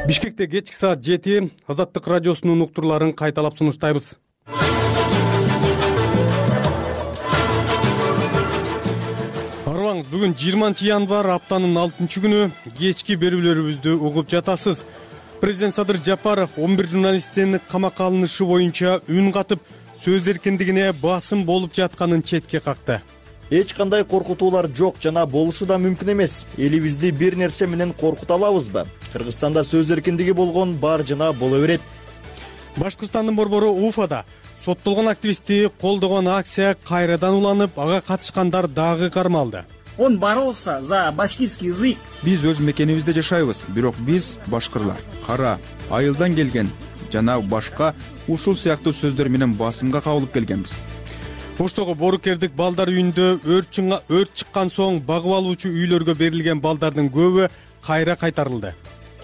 Бишкекте кечки саат 7 Азаттык радиосунун уктурларын кайталап сунуштайбыз. Арыбаңыз, бүгүн 20 январь, аптанын 6-күнү, кечки берүүлөрүбүздү угуп жатасыз. Президент Садыр Жапаров 11 журналисттин камакка алынышы боюнча үн катып, сөз эркиндигине басым болуп жатканын четке какты. Эч кандай коркутуулар жок жана болушу да мүмкүн эмес. Элибизди бир нерсе менен коркута алабызбы? Кыргызстанда сөз эркиндиги болгон бар жана боло берет. Башкырстандын борбору Уфада соттолгон активистти колдогон акция кайрадан уланып, ага катышкандар дагы кармалды. Он боролся за башкирский язык. Биз өз мекенибизде жашайбыз, бирок биз башкырлар, кара, айылдан келген жана башка ушул сыяктуу сөздөр менен басымга кабылып келгенбиз. Оштогу Борукердик балдар үйүндө өрт чыккан соң багып алуучу үйлөргө берилген балдардын көбү кайра кайтарылды.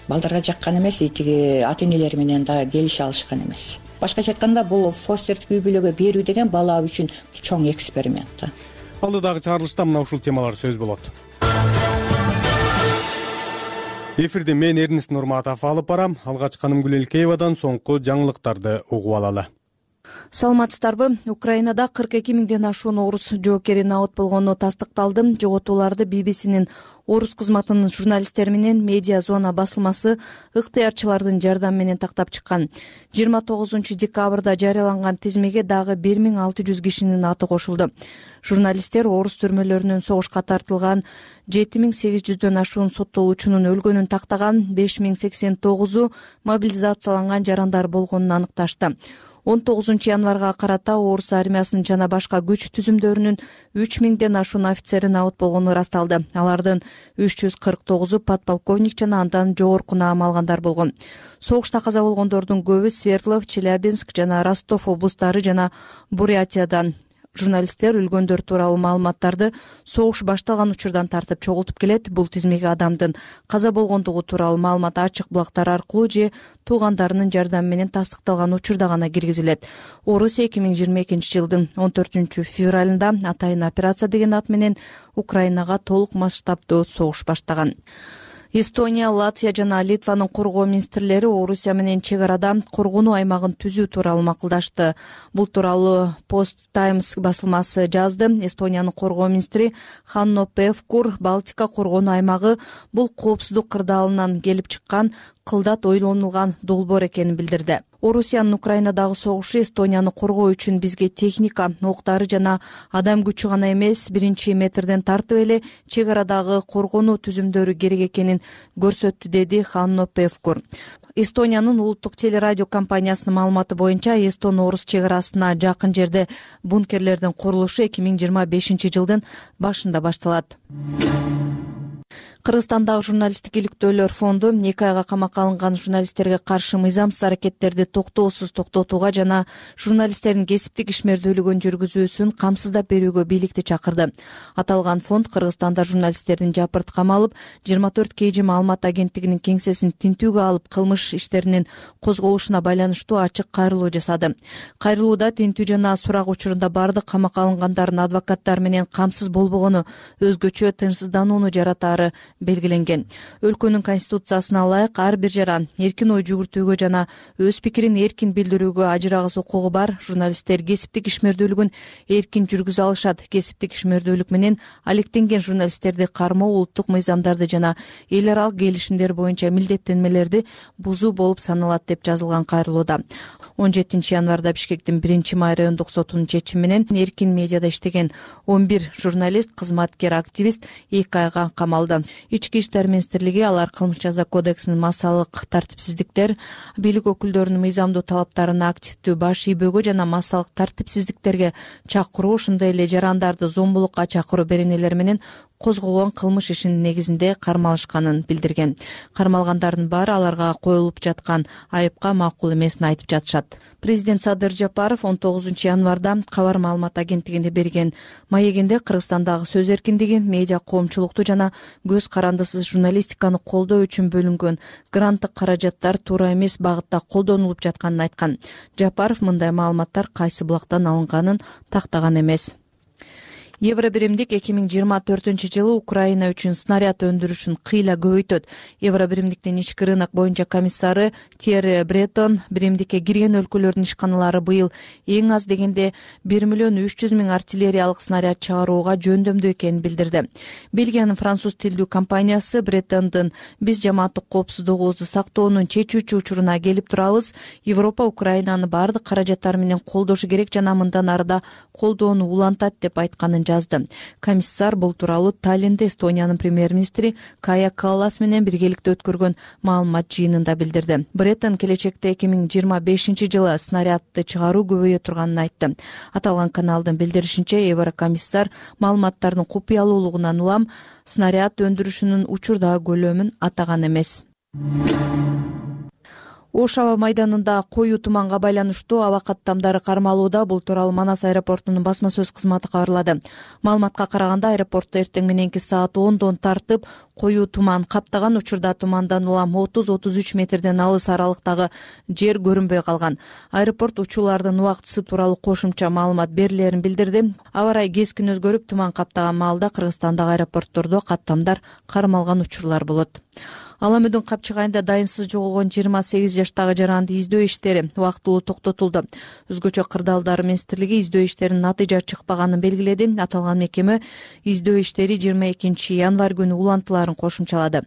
Балдарга жаккан эмес, тиги ата энелери менен да келише алышкан эмес. Башкача айтканда, бул фостердик үй бүлөгө берүү деген бала үчүн чоң эксперимент. Алдыдагы чыгарылышта мына ушул темалар сөз болот. Эфирде мен Эрнест Нурматов алып барам. Алгач Каным Гүлелкеевадан соңку жаңылыктарды угуп алалы. Саламатсыздарбы? Украинада 42 миңден ашуун орус жоокери набыт болгону тастыкталды. Жоготууларды BBC-нин орус кызматынын журналисттери менен Медиа Зона басылмасы ыктыярчылардын жардамы менен тактап чыккан. 29 декабрда жарыяланган тизмеге дагы 1600 кишинин аты кошулду. Журналисттер орус түрмөлөрүнүн согушка тартылган 7800дөн ашуун соттолуучунун өлгөнүн тактаган, 5089 мобилизацияланган жарандар болгонун аныкташты. 19 январга карата орус армиясынын жана башка күч түзүмдөрүнүн 3000ден ашуун офицери набыт болгону ырасталды. Алардын 349-у подполковник жана андан жогорку наам алгандар болгон. Согушта каза болгондордун көбү Свердлов, Челябинск жана Ростов облустары жана Бурятиядан. Журналисттер өлгөндөр тууралуу маалыматтарды согуш башталган учурдан тартып чогултуп келет. Бул тизмеге адамдын каза болгондугу тууралуу маалымат ачык булактар аркылуу же туугандарынын жардамы менен тастыкталган учурда гана киргизилет. Орусия 2022 жылдын 14 февралында атайын операция деген ат менен Украинага толук масштабдуу согуш баштаган. Эстония, Латвия жана Литванын коргоо министрлери Орусия менен чек арада коргонуу аймагын түзүү тууралуу макулдашты. Бул тууралуу Post Times басылмасы жазды. Эстониянын коргоо министри Ханно Певкур Балтика коргонуу аймагы бул коопсуздук кырдаалынан келип чыккан кылдат ойлонулган долбоор экенин билдирди. Орусиянын Украинадагы согушу Эстонияны коргоо үчүн бизге техника, октары жана адам күчү гана эмес, биринчи метрден тартып эле чек арадагы коргонуу түзүмдөрү керек экенин көрсөттү, деди Ханно Певкур. Эстониянын улуттук телерадио компаниясынын маалыматы боюнча, Эстон-орус чек арасына жакын жерде бункерлердин курулушу 2025 жылдын башында башталат. Кыргызстандагы журналисттик иликтөөлөр фонду 2 айга камакка алынган журналисттерге каршы мыйзамсыз аракеттерди токтоосуз токтотууга жана журналисттердин кесиптик ишмердүүлүгүн жүргүзүүсүн камсыздап берүүгө бийликти чакырды. Аталган фонд Кыргызстанда журналисттердин жапырт камалып, 24 KG маалымат агенттигинин кеңсесин тинтүүгө алып, кылмыш иштеринин козголушуна байланыштуу ачык кайрылуу жасады. Кайрылууда тинтүү жана сурак учурунда бардык камакка алынгандардын адвокаттары менен камсыз болбогону, өзгөчө тынчсызданууну жаратаары белгиленген. Өлкөнүн конституциясына ылайык ар бир жаран эркин ой жүгүртүүгө жана өз пикирин эркин билдирүүгө ажырагыс укугу бар. Журналисттер кесиптик ишмердүүлүгүн эркин жүргүзө алышат. Кесиптик ишмердүүлүк менен алектенген журналисттерди кармоо улуттук мыйзамдарды жана эл аралык келишимдер боюнча милдеттенмелерди бузуу болуп саналат, деп жазылган кайрылууда. 17 январда Бишкектин 1-май райондук сотунун чечими менен эркин медиада иштеген 11 журналист, кызматкер, активист 2 айга камалды. Ички иштер министрлиги алар кылмыш жаза кодексинин массалык тартипсиздиктер, бийлик өкүлдөрүнүн мыйзамдуу талаптарына активдүү баш ийбөөгө жана массалык тартипсиздиктерге чакыруу, ошондой эле жарандарды зомбулукка чакыруу беренелери менен козголгон кылмыш ишинин негизинде кармалышканын билдирген. Кармалгандардын баары аларга коюлуп жаткан айыпка макул эмесин айтып жатышат. Президент Садыр Жапаров 19 январда кабар маалымат агенттигине берген маегинде Кыргызстандагы сөз эркиндиги, медиа коомчулукту жана көз карандысыз журналистиканы колдоо үчүн бөлүнгөн гранттык каражаттар туура эмес багытта колдонулуп жатканын айткан. Жапаров мындай маалыматтар кайсы булактан алынганын тактаган эмес. Евробиримдик 2024-жылы Украина үчүн снаряд өндүрүшүн кыйла көбөйтөт. Евробиримдиктин ички рынок боюнча комиссары Терри Бреттон биримдикке кирген өлкөлөрдүн ишканалары быйыл эң аз дегенде 1,3 миллион артиллериялык снаряд чыгарууга жөндөмдүү экенин билдирди. Бельгиянын француз тилдүү компаниясы Бреттондун «Биз жамааттык коопсуздугубузду сактоонун чечүүчү учуруна келип турабыз. Европа Украинаны баардык каражаттар менен колдошу керек жана мындан арыда колдоону улантат» деп айтканын жазды. Комиссар бул тууралуу Таллинде Эстониянын премьер-министри Кая Каллас менен биргеликте өткөргөн маалымат жыйынында билдирди. Бреттон келечекте 2025-жылы снарядды чыгаруу көбөйө турганын айтты. Аталган каналдын билдиришинче, еврокомиссар маалыматтардын купуялуулугунан улам снаряд өндүрүшүнүн учурдагы көлөмүн атаган эмес. Ош аба майданында коюу туманга байланыштуу аба каттамдары кармалууда. Бул тууралуу Манас аэропортунун басма сөз кызматы кабарлады. Маалыматка караганда, аэропортто эртең мененки саат 10дон тартып коюу туман каптаган. Учурда тумандан улам 30-33 метрден алыс аралыктагы жер көрүнбөй калган. Аэропорт учуулардын убактысы тууралуу кошумча маалымат берилерин билдирди. Аба ырайы кескин өзгөрүп, туман каптаган маалда Кыргызстандагы аэропорттордо каттамдар кармалган учурлар болот. Аламөдүн Капчыгайында дайынсыз жоголгон 28 жаштагы жаранды издөө иштери убактылуу токтотулду. Өзгөчө кырдаалдар министрлиги издөө иштеринин натыйжа чыкпаганын белгиледи. Аталган мекеме издөө иштери 22 январь күнү улантыларын кошумчалады.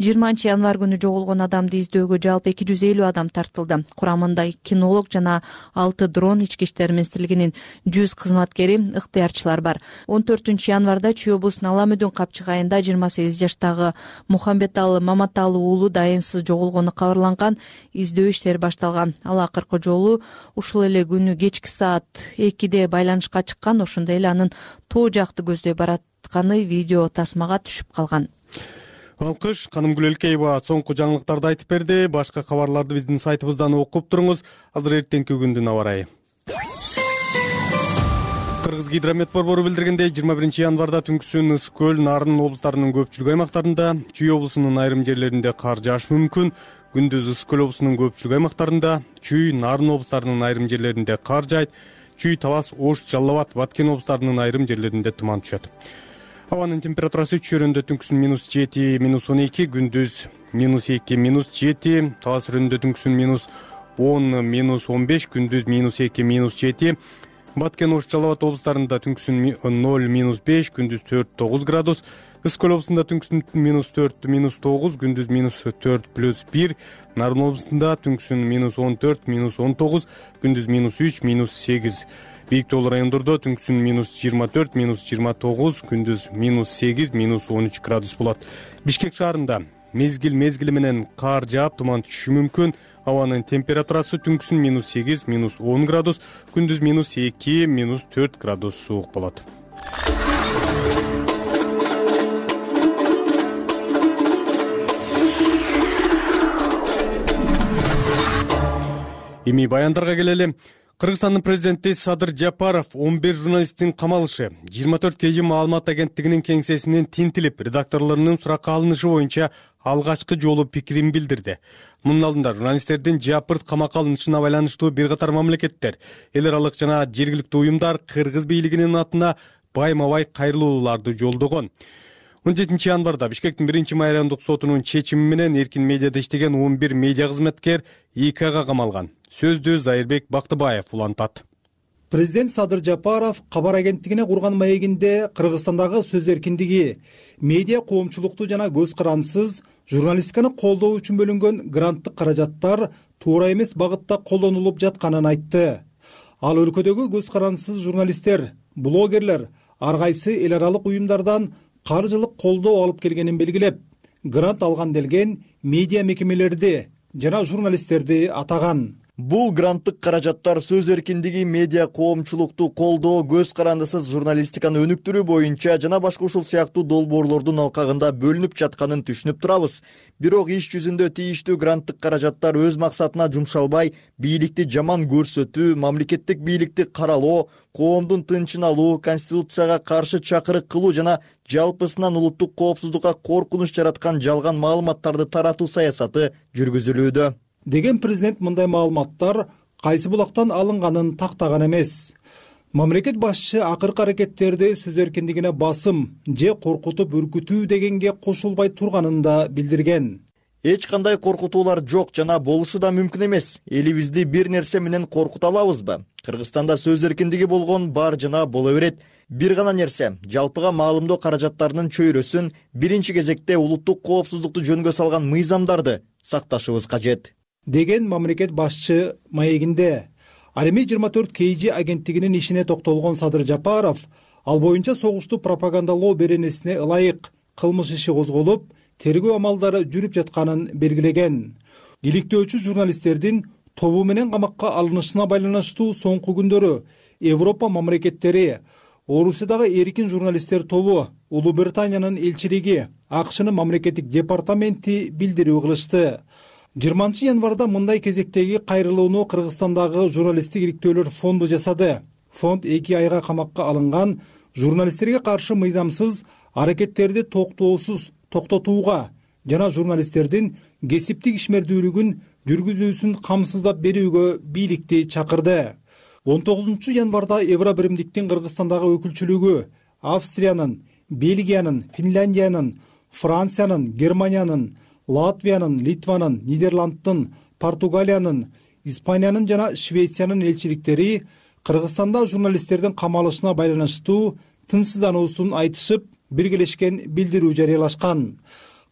20 январь күнү жоголгон адамды издөөгө жалпы 250 адам тартылды. Курамында кинолог жана 6 дрон, ички иштер министрлигинин 100 кызматкери, ыктыярчылар бар. 14 январда Чүй облусунун Аламөдүн Капчыгайында 28 жаштагы Мухамбеталы уулу дайынсыз жоголгону кабарланган. Издөө иштери башталган. Ал акыркы жолу ушул эле күнү кечки саат 2де байланышка чыккан. Ошондой эле анын тоо жакты көздөй баратканы видео тасмага түшүп калган. Алкыш, Канымгүл Элкеева соңку жаңылыктарды айтып берди. Башка кабарларды биздин сайтыбыздан окуп туруңуз. Азыр эртеңки күндүн аба ырайы. Кыргыз гидромет борбору билдиргендей, 21 январда түнкүсүн Ысык көл, Нарын облустарынын көпчүлүк аймактарында, Чүй облусунун айрым жерлеринде кар жаашы мүмкүн. Күндүз Ысык көл облусунун көпчүлүк аймактарында, Чүй, Нарын облустарынын айрым жерлеринде кар жаайт. Чүй, Талас, Ош, Жалал Абад, Баткен облустарынын айрым жерлеринде туман түшөт. Абанын температурасы Чүй-районунда түнкүсүн -7, -12, күндүз -2, -7, Талас районунда түнкүсүн -10, -15, күндүз -2, -7. Баткен, Ош, Жалал Абад облустарында түнкүсүн 0, -5, күндүз 4-9 градус. Ысык көл облусунда түнкүсүн -4, -9, күндүз -4 +1. Нарын облусунда түнкүсүн -14, -19, күндүз -3, -8. Бийик тоолуу райондордо түнкүсүн -24, -29, күндүз -8, -13 градус болот. Бишкек шаарында мезгил менен кар жаап, туман түшүшү мүмкүн. Абанын температурасы түнкүсүн -8, -10 градус, күндүз -2, -4 градус суук болот. Эми баяндарга келели. Кыргызстандын президенти Садыр Жапаров 11 журналисттин камалышы 24 KG маалымат агенттигинин кеңсесинен тинтилип, редакторлорунун суракка алынышы боюнча алгачкы жолу пикирин билдирди. Мунун алдында журналисттердин жапырт камакка алынышына байланыштуу бир катар мамлекеттер, эл аралык жана жергиликтүү уюмдар Кыргыз бийлигинин атына байма-бай кайрылууларды жолдогон. 17 январда Бишкектин 1-май райондук сотунун чечими менен эркин медиада иштеген 11 медиа кызматкер 2 айга камалган. Сөздү Зайырбек Бактыбаев улантат. Президент Садыр Жапаров кабар агенттигине курган маегинде Кыргызстандагы сөз эркиндиги, медиа коомчулукту жана көз карансыз журналистиканы колдоо үчүн бөлүнгөн гранттык каражаттар туура эмес багытта колдонулуп жатканын айтты. Ал өлкөдөгү көз карансыз журналисттер, блогерлер ар кайсы эл аралык уюмдардан каржылык колдоо алып келгенин белгилеп, грант алган делген медиа мекемелерди жана журналисттерди атаган. Бул гранттык каражаттар сөз эркиндиги, медиа коомчулукту колдоо, көз карандысыз журналистиканы өнүктүрүү боюнча жана башка ушул сыяктуу долбоорлордун алкагында бөлүнүп жатканын түшүнүп турабыз. Бирок иш жүзүндө тийиштүү гранттык каражаттар өз максатына жумшалбай, бийликти жаман көрсөтүү, мамлекеттик бийликти каралоо, коомдун тынчын алуу, конституцияга каршы чакырык кылуу жана жалпысынан улуттук коопсуздукка коркунуч жараткан жалган маалыматтарды таратуу саясаты жүргүзүлүүдө деген президент мындай маалыматтар кайсы булактан алынганын тактаган эмес. мамлекет башчы акыркы аракеттерди сөз эркиндигине басым же коркутуп үркүтүү дегенге кошулбай турганын да билдирген. Эч кандай коркутуулар жок жана болушу да мүмкүн эмес. Элибизди бир нерсе менен коркута алабызбы? Кыргызстанда сөз эркиндиги болгон бар жана боло берет. Бир гана нерсе, жалпыга маалымдоо каражаттарынын чөйрөсүн биринчи кезекте улуттук коопсуздукту жөнгө салган мыйзамдарды сакташыбыз кажет, деген мамлекет башчы маегинде. Ал эми 24 KG агенттигинин ишине токтолгон Садыр Жапаров ал боюнча согушту пропагандалоо беренесине ылайык кылмыш иши козголуп, тергөө амалдары жүрүп жатканын белгилеген. Иликтөөчү журналисттердин тобу менен камакка алынышына байланыштуу соңку күндөрү Европа мамлекеттери, Орусиядагы эркин журналисттер тобу, Улуу Британиянын элчилиги, АКШнын мамлекеттик департаменти билдирүү кылышты. 20 январда мындай кезектеги кайрылууну Кыргызстандагы журналисттик иликтөөлөр фонду жасады. Фонд 2 айга камакка алынган журналисттерге каршы мыйзамсыз аракеттерди токтотууга жана журналисттердин кесиптик ишмердүүлүгүн жүргүзүүсүн камсыздап берүүгө бийликти чакырды. 19 январда Евробиримдиктин Кыргызстандагы өкүлчүлүгү Австриянын, Бельгиянын, Финляндиянын, Франциянын, Германиянын, Латвиянын, Литванын, Нидерландтын, Португалиянын, Испаниянын жана Швециянын элчиликтери Кыргызстанда журналисттердин камалышына байланыштуу тынчсыздануусун айтышып, биргелешкен билдирүү жарыялашкан.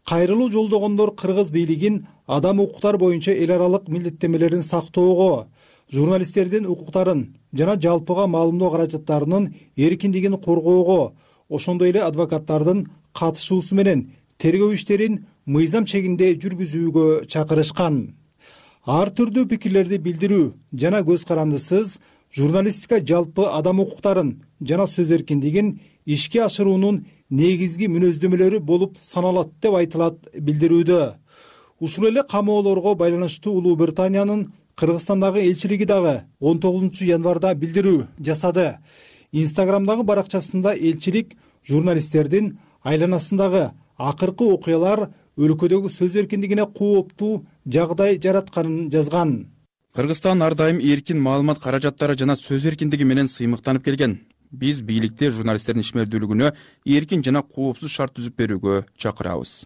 Кайрылуу жолдогондор кыргыз бийлигин адам укуктар боюнча эл аралык милдеттемелерин сактоого, журналисттердин укуктарын жана жалпыга маалымдоо каражаттарынын эркиндигин коргоого, ошондой эле адвокаттардын катышуусу менен тергөө иштерин мыйзам чегинде жүргүзүүгө чакырышкан. Ар түрдүү пикирлерди билдирүү жана көз карандысыз журналистика жалпы адам укуктарын жана сөз эркиндигин ишке ашыруунун негизги мүнөздөмөлөрү болуп саналат деп айтылат билдирүүдө. Ушул эле камоолорго байланыштуу Улуу Британиянын Кыргызстандагы элчилиги дагы 19 январда билдирүү жасады. Инстаграмдагы баракчасында элчилик журналисттердин айланасындагы акыркы окуялар өлкөдөгү сөз эркиндигине кооптуу жагдай жаратканын жазган. Кыргызстан ар дайым эркин маалымат каражаттары жана сөз эркиндиги менен сыймыктанып келген. Биз бийликти журналисттердин ишмердүүлүгүнө эркин жана коопсуз шарт түзүп берүүгө чакырабыз.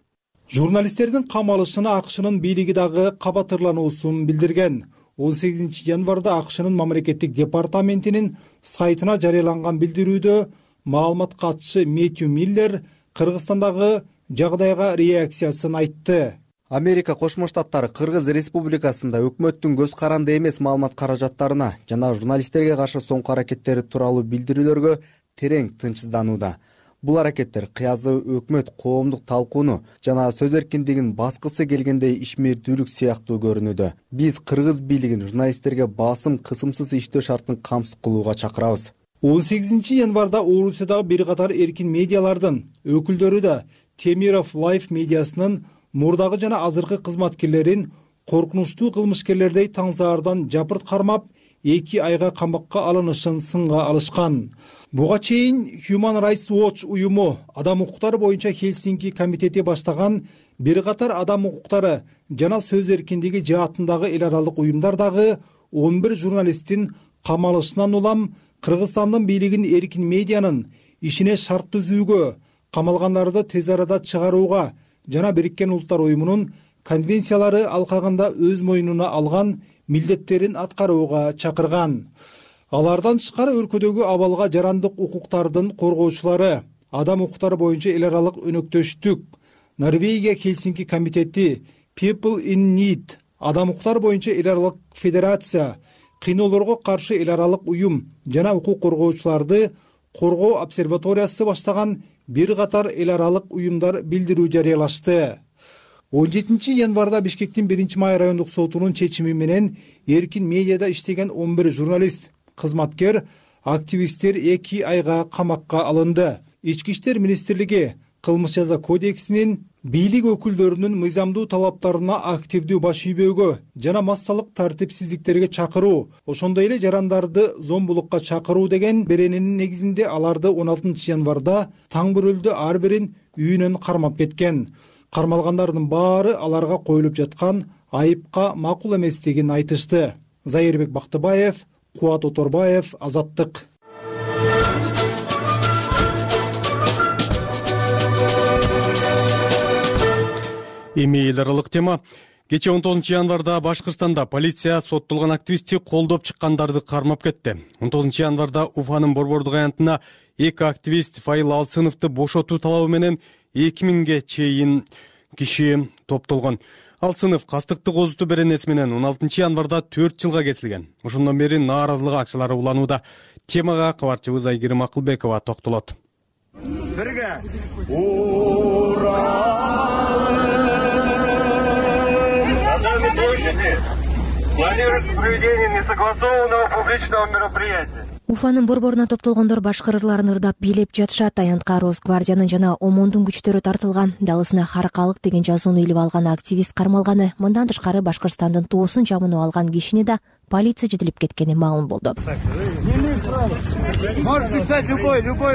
Журналисттердин камалышына АКШнын бийлиги дагы кабатырлануусун билдирген. 18 январда АКШнын мамлекеттик департаментинин сайтына жарыяланган билдирүүдө маалымат катчысы Мэтью Миллер Кыргызстандагы жагдайга реакциясын айтты. Америка Кошмо Штаттары Кыргыз Республикасында өкмөттүн көз каранды эмес маалымат каражаттарына жана журналисттерге каршы соңку аракеттери тууралуу билдирүүлөргө терең тынчсызданууда. Бул аракеттер кыязы өкмөт коомдук талкууну жана сөз эркиндигин баскысы келгендей ишмердүүлүк сыяктуу көрүнүүдө. Биз кыргыз бийлигин журналисттерге басым, кысымсыз иштөө шартын камсыз кылууга чакырабыз. 18 январда Орусиядагы бир катар эркин медиалардын өкүлдөрү да Темиров Life медиасынын мурдагы жана азыркы кызматкерлерин коркунучтуу кылмышкерлердей таңзаардан жапырт кармап 2 айга камакка алынышын сынга алышкан. Буга чейин Human Rights Watch уюму адам укуктары боюнча Хельсинки комитети баштаган бир катар адам укуктары жана сөз эркиндиги жаатындагы эл аралык уюмдар дагы 11 журналисттин камалышынан улам Кыргызстандын бийлигин эркин медианын ишине шарт түзүүгө, камалгандарды тез арада чыгарууга жана Бириккен Улуттар уюмунун конвенциялары алкагында өз мойнуна алган милдеттерин аткарууга чакырган. Алардан тышкары өлкөдөгү абалга жарандык укуктардын коргоочулары, адам укуктары боюнча эл аралык өнөктөштүк, Норвегия Хельсинки комитети, People in Need, адам укуктары боюнча эл аралык федерация, кыйноолорго каршы эл аралык уюм жана укук коргоочуларды коргоо обсерваториясы баштаган бир катар эл аралык уюмдар билдирүү жарыялашты. 17 январда Бишкектин 1-Май райондук сотунун чечими менен эркин медиада иштеген 11 журналист, кызматкер, активисттер 2 айга камакка алынды. Ички иштер министрлиги кылмыш жаза кодексинин бийлик өкүлдөрүнүн мыйзамдуу талаптарына активдүү баш ийбөөгө жана массалык тартипсиздиктерге чакыруу, ошондой эле жарандарды зомбулукка чакыруу деген берененин негизинде аларды 16 январда таң бөрөлдө ар бирин үйүнөн кармап кеткен. Кармалгандардын баары аларга коюлуп жаткан айыпка макул эместигин айтышты. Зайырбек Бактыбаев, Кубат Оторбаев, Азаттык. Эми эл аралык тема. Кечээ 19 январда Башкырстанда полиция соттолгон активистти колдоп чыккандарды кармап кетти. 19 январда Уфанын Борбордук аянтына 2 активист Файыл Алсыновду бошотуу талабы менен 2000ге чейин киши топтолгон. Алсынов кастыкты козутуу беренеси менен 16 январда 4 жылга кесилген. Ошондон бери нааразылык акчалары уланууда. Темага кабарчыбыз Айгерим Акылбекова токтолот. Бирге планируется проведение несогласованного публичного мероприятия. Уфанын борборуна топтолгондор башкыр ырларын ырдап бийлеп жатышат. Аянтка Росгвардиянын жана ОМОНдун күчтөрү тартылган. Далысына Харкалык деген жазууну илип алган активист кармалганы. Мындан тышкары Башкырстандын туусун жамынып алган кишини да полиция жетилип кеткени маалым болду.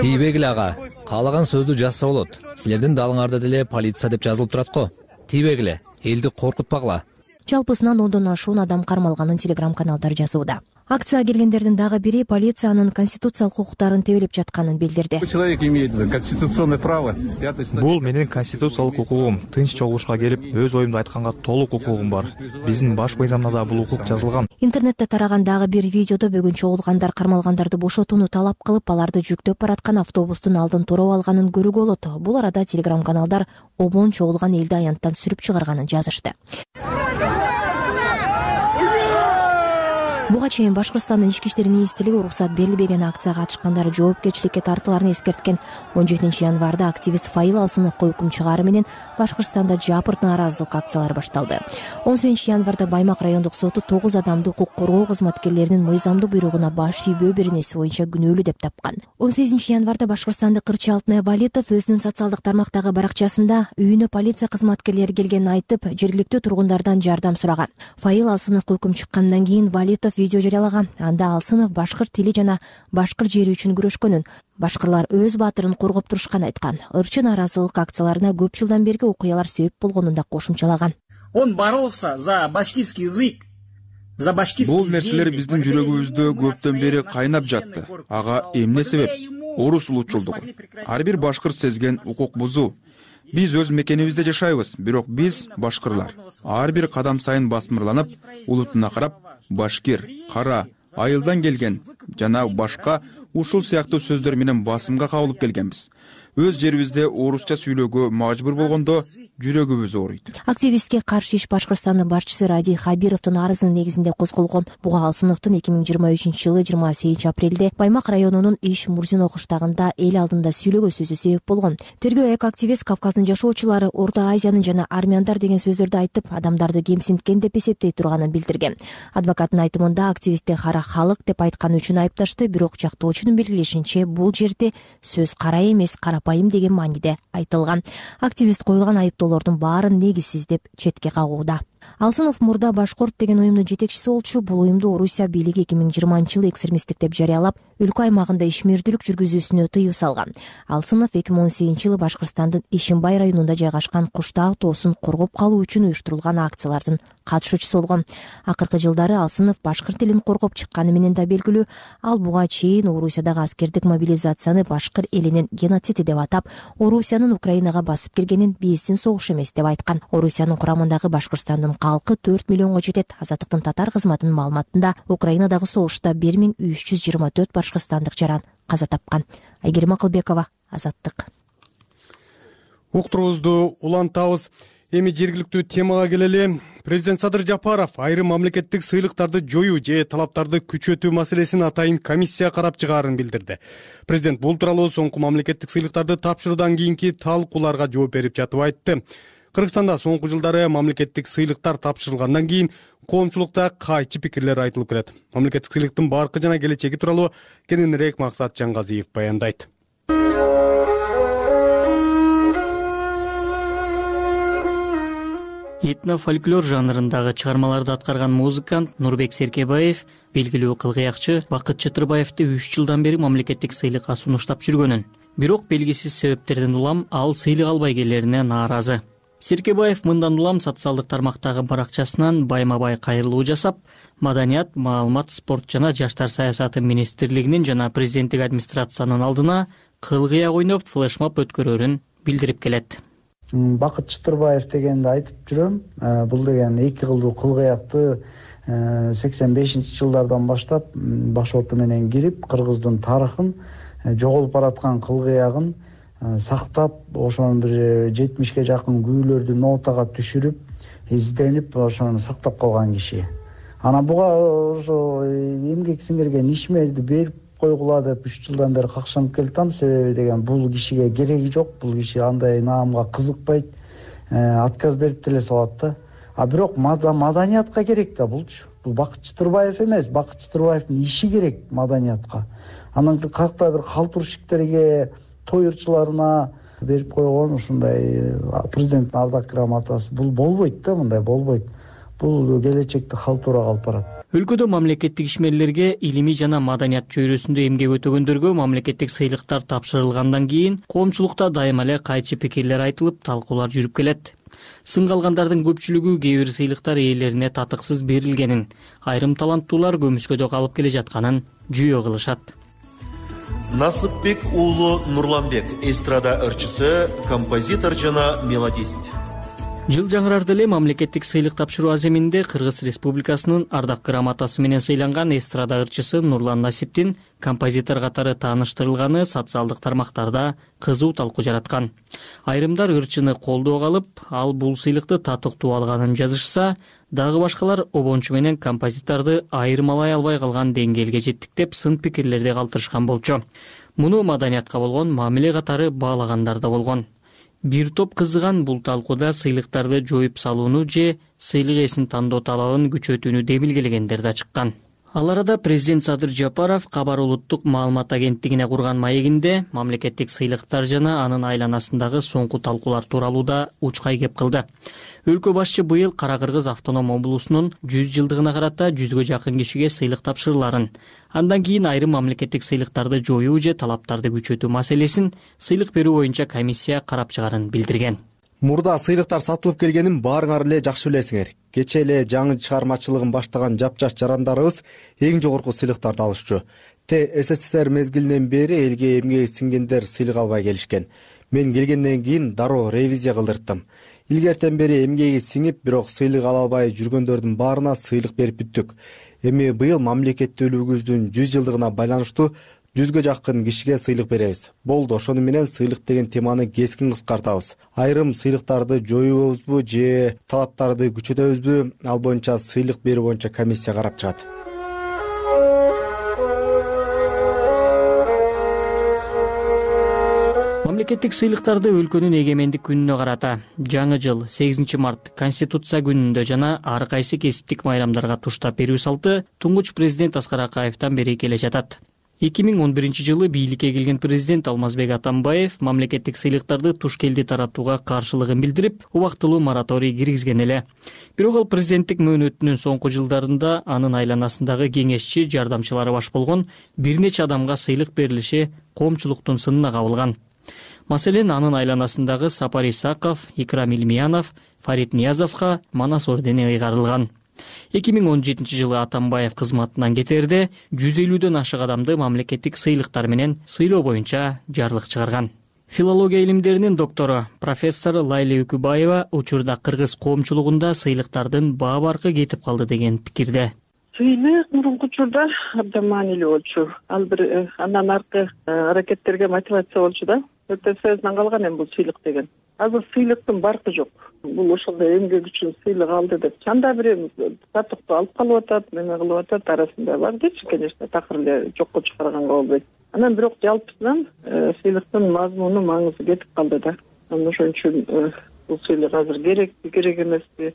Тийбегиле ага, каалаган сөздү жазса болот. Силердин далыңарда деле полиция деп жазылып турат го. Тийбегиле, элди коркутпагыла. Жалпысынан 10дон ашуун адам кармалганын телеграм-каналдар жазууда. Акцияга келгендердин дагы бири полициянын конституциялык укуктарын тебелеп жатканын билдирди. Человек имеет конституционное право. Бул менин конституциялык укугум. Тынч чогулушка келип, өз оюмду айтканга толук укугум бар. Биздин баш мыйзамда да бул укук жазылган. Интернетте тараган дагы бир видеодо бүгүн чогулгандар кармалгандарды бошотууну талап кылып, аларды жүктөп бараткан автобустун алдын туруп алганын көрүүгө болот. Бул арада телеграм-каналдар ОМОН чогулган элди аянттан сүрүп чыгарганын жазышты. Буга чейин Башкырстандын ички иштер министрлиги уруксат берилбеген акцияга катышкандар жоопкерчиликке тартыларын эскерткен. 17 январда активист Файыл Алсыновго өкүм чыгаары менен Башкырстанда жапырт нааразылык акциялары башталды. 18 январда Баймак райондук соту 9 адамды укук коргоо кызматкерлеринин мыйзамдуу буйругуна баш ийбөө беренеси боюнча күнөөлүү деп тапкан. 18 январда Башкырстандык Кырчы Алтынай Валитов өзүнүн социалдык тармактагы баракчасында үйүнө полиция кызматкерлери келгенин айтып, жергиликтүү тургундардан жардам сураган. Файыл Алсыновго өкүм чыккандан кийин Валитов видео жарыялаган. Анда Алсынов башкыр тили жана башкыр жери үчүн күрөшкөнүн, башкырлар өз баатырын коргоп турушканын айткан. Ырчы нааразылык акцияларына көп жылдан берги окуялар себеп болгонун да кошумчалаган. Он боролся за башкирский язык, за башкирский. Бул нерселер биздин жүрөгүбүздө көптөн бери кайнап жатты. Ага эмне себеп? Орус улутчулдугу. Ар бир башкыр сезген укук бузуу. Биз өз мекенибизде жашайбыз, бирок биз башкырлар ар бир кадам сайын басмырланып, улутуна карап башкир, кара, айылдан келген жана башка ушул сыяктуу сөздөр менен басымга кабылып келгенбиз. Өз жерибизде орусча сүйлөөгө мажбур болгондо жүрөгүбүз ооруйт. Активистке каршы иш Башкырстандын башчысы Ради Хабировдун арызынын негизинде козголгон. Буга Алсыновдун 2023-жылы 28 апрелде Баймак районунун Иш Мурзино кыштагында эл алдында сүйлөгөн сөзү себеп болгон. Тергөө эки активист Кавказдын жашоочулары Орто Азиянын жана армяндар деген сөздөрдү айтып, адамдарды кемсинткен деп эсептей турганын билдирген. Адвокаттын айтымында активистти кара халык деп айтканы үчүн айыпташты, бирок жактоочунун белгилешинче бул жерде сөз кара эмес, карапайым деген мааниде айтылган. Активист коюлган айыптоолордун баарын негизсиз деп четке кагууда. Алсынов мурда Башкорт деген уюмдун жетекчиси болчу. Бул уюмду Орусия бийлиги 2020-жылы экстремисттик деп жарыялап, өлкө аймагында ишмердүүлүк жүргүзүүсүнө тыюу салган. Алсынов 2018-жылы Башкырстандын Ишимбай районунда жайгашкан Куштаа тоосун коргоп калуу үчүн уюштурулган акциялардын катышуучусу болгон. Акыркы жылдары Алсынов башкыр тилин коргоп чыкканы менен да белгилүү. Ал буга чейин Орусиядагы аскердик мобилизацияны башкыр элинин геноциди деп атап, Орусиянын Украинага басып киргенин биздин согуш эмес деп айткан. Орусиянын курамындагы Башкырстандын калкы 4 миллионго жетет. Азаттыктын татар кызматынын маалыматында Украинадагы согушта 1324 башкырстандык жаран каза тапкан. Айгерим Акылбекова, Азаттык. Уктурубузду улантабыз. Эми жергиликтүү темага келели. Президент Садыр Жапаров айрым мамлекеттик сыйлыктарды жоюу же талаптарды күчөтүү маселесин атайын комиссия карап чыгаарын билдирди. Президент бул тууралуу соңку мамлекеттик сыйлыктарды тапшыруудан кийинки талкууларга жооп берип жатып айтты. Кыргызстанда соңку жылдары мамлекеттик сыйлыктар тапшырылгандан кийин коомчулукта кайчы пикирлер айтылып келет. Мамлекеттик сыйлыктын баркы жана келечеги тууралуу кененирээк Максат Жангазиев баяндайт. Этно-фольклор жанрындагы чыгармаларды аткарган музыкант Нурбек Серкебаев белгилүү кылгыякчы Бакыт Чытырбаевди 3 жылдан бери мамлекеттик сыйлыкка сунуштап жүргөнүн, бирок белгисиз себептерден улам ал сыйлык албай келерине нааразы. Серкебаев мындан улам социалдык тармактагы баракчасынан байма-бай кайрылуу жасап, Маданият, маалымат, спорт жана жаштар саясаты министрлигинин жана президенттик администрациянын алдына кылгыяк ойноп флешмоб өткөрөрүн билдирип келет. Бакыт Чытырбаев дегенди айтып жүрөм. Бул деген эки кылдуу кылгыякты 85-жылдардан баштап баш оту менен кирип кыргыздын тарыхын, жоголуп бараткан кылгыягын сактап, ошонун бир 70ге жакын күүлөрдү нотага түшүрүп, изденип, ошону сактап калган киши. Анан буга ошо эмгек сиңирген ишмерди берип койгула деп 3 жылдан бери какшанып келатам. Себеби деген бул кишиге кереги жок, бул киши андай наамга кызыкпайт, отказ берип деле салат да. А бирок маданиятка керек да булчу. Бул Бакыт Чытырбаев эмес, Бакыт Чытырбаевдин иши керек маданиятка. Анан кайякта бир калтурушиктерге, той ырчыларына берип койгон ушундай президенттин ардак грамотасы бул болбойт да, мындай болбойт. Бул келечекте халтурага алып барат. Өлкөдө мамлекеттик ишмерлерге, илимий жана маданият чөйрөсүндө эмгек өтөгөндөргө мамлекеттик сыйлыктар тапшырылгандан кийин коомчулукта дайыма эле кайчы пикирлер айтылып, талкуулар жүрүп келет. Сынга алгандардын көпчүлүгү кээ бир сыйлыктар ээлерине татыксыз берилгенин, айрым таланттуулар көмүскөдө калып келе жатканын жүйө кылышат. Насыпбек уулу Нурланбек, эстрада ырчысы, композитор жана мелодист. Жыл жаңырарды эле мамлекеттик сыйлык тапшыруу аземинде Кыргыз Республикасынын ардак грамотасы менен сыйланган эстрада ырчысы Нурлан Насиптин композитор катары тааныштырылганы социалдык тармактарда кызуу талкуу жараткан. Айрымдар ырчыны колдоого алып, ал бул сыйлыкты татыктуу алганын жазышса, дагы башкалар обончу менен композиторду айырмалай албай калган деңгээлге жеттик деп сын пикирлерди калтырышкан болчу. Муну маданиятка болгон мамиле катары баалагандар да болгон. Бир топ кызыган бул талкууда сыйлыктарды жоюп салууну же сыйлык ээсин тандоо талабын күчөтүүнү демилгелегендер да чыккан. Ал арада президент Садыр Жапаров Кабар улуттук маалымат агенттигине курган маегинде мамлекеттик сыйлыктар жана анын айланасындагы соңку талкуулар тууралуу да учкай кеп кылды. Өлкө башчы быйыл Кара Кыргыз автоном облусунун 100 жылдыгына карата 100гө жакын кишиге сыйлык тапшырыларын, андан кийин айрым мамлекеттик сыйлыктарды жоюу же талаптарды күчөтүү маселесин сыйлык берүү боюнча комиссия карап чыгарын билдирген. Мурда сыйлыктар сатылып келгенин баарыңар эле жакшы билесиңер. Кече эле жаңы чыгармачылыгын баштаган жапжаш жарандарыбыз эң жогорку сыйлыктарды алышчу. СССР мезгилинен бери элге эмгеги сиңгендер сыйлык албай келишкен. Мен келгенден кийин дароо ревизия кылдырттым. Илгертен бери эмгеги сиңип, бирок сыйлык ала албай жүргөндөрдүн баарына сыйлык берип бүттүк. Эми быйыл мамлекеттүүлүгүбүздүн 100 жылдыгына байланыштуу 100гө жакын кишиге сыйлык беребиз. Болду, ошону менен сыйлык деген теманы кескин кыскартабыз. Айрым сыйлыктарды жоюбузбу же талаптарды күчөтөбүзбү, ал боюнча сыйлык берүү боюнча комиссия карап чыгат. Мамлекеттик сыйлыктарды өлкөнүн эгемендик күнүнө карата жаңы жыл 8 март Конституция күнүндө жана ар кайсы кесиптик майрамдарга туштап берүү салты туңгуч президент Аскар Акаевден бери келе жатат. 2011 жылы бийликке келген президент Алмазбек Атамбаев мамлекеттик сыйлыктарды туш келди таратууга каршылыгын билдирип, убактылуу мораторий киргизген эле. Бирок ал президенттик мөөнөтүнүн соңку жылдарында анын айланасындагы кеңешчи, жардамчылары баш болгон бир нече адамга сыйлык берилиши коомчулуктун сынына кабылган. Маселен, анын айланасындагы Сапар Исаков, Икрам Илмиянов, Фарид Ниязовго Манас ордени ыйгарылган. 2017 жылы Атамбаев кызматынан кетерде 150дөн ашык адамды мамлекеттик сыйлыктар менен сыйлоо боюнча жарлык чыгарган. Филология илимдеринин доктору профессор Лайли Үкүбаева учурда кыргыз коомчулугунда сыйлыктардын баа баркы кетип калды деген пикирде. Сыйлык мурунку учурда абдан маанилүү болчу. Ал бир андан аркы аракеттерге мотивация болчу да. Өтө сөзүнөн калган эми бул сыйлык деген. Азыр сыйлыктын баркы жок. Бул ошондой эмгек үчүн сыйлык алды деп чанда бир татыктуу алып калып атат, неме кылып атат, арасында бар дечи, конечно, такыр эле жокко чыгарганга болбойт. Анан бирок жалпысынан сыйлыктын мазмуну, маңызы кетип калды да. Анан ошон үчүн бул сыйлык азыр керекпи, керек эмеспи?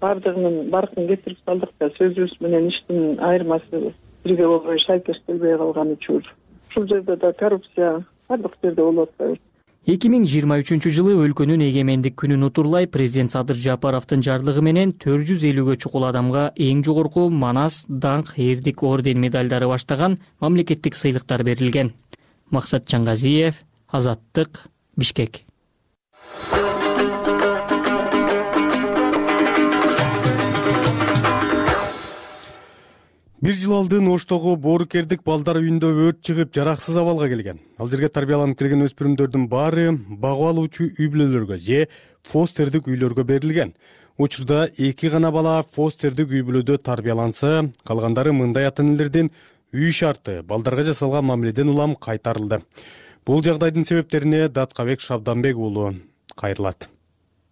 Бардыгынын баркын кетирип салдык да, сөзүбүз менен иштин айырмасы бирге болбой шайкештелбей калган үчүн. Ушул жерде да коррупция бардык жерде болуп атпайбы? 2023 жылы өлкөнүн эгемендик күнүн утурлай президент Садыр Жапаровдун жарлыгы менен 450гө чукул адамга эң жогорку Манас, Даңк, Эрдик орден медалдары баштаган мамлекеттик сыйлыктар берилген. Максат Чаңгазиев, Азаттык, Бишкек. 1 жыл алдын Оштогу Боорукердик балдар үйүндө өрт чыгып, жараксыз абалга келген. Ал жерге тарбияланып келген өспүрүмдөрдүн баары багып алуучу үй бүлөлөргө же фостердик үйлөргө берилген. Учурда 2 гана бала фостердик үй бүлөдө тарбияланса, калгандары мындай ата-энелердин үй шарты, балдарга жасалган мамиледен улам кайтарылды. Бул жагдайдын себептерине Даткабек Шабданбек уулу кайрылат.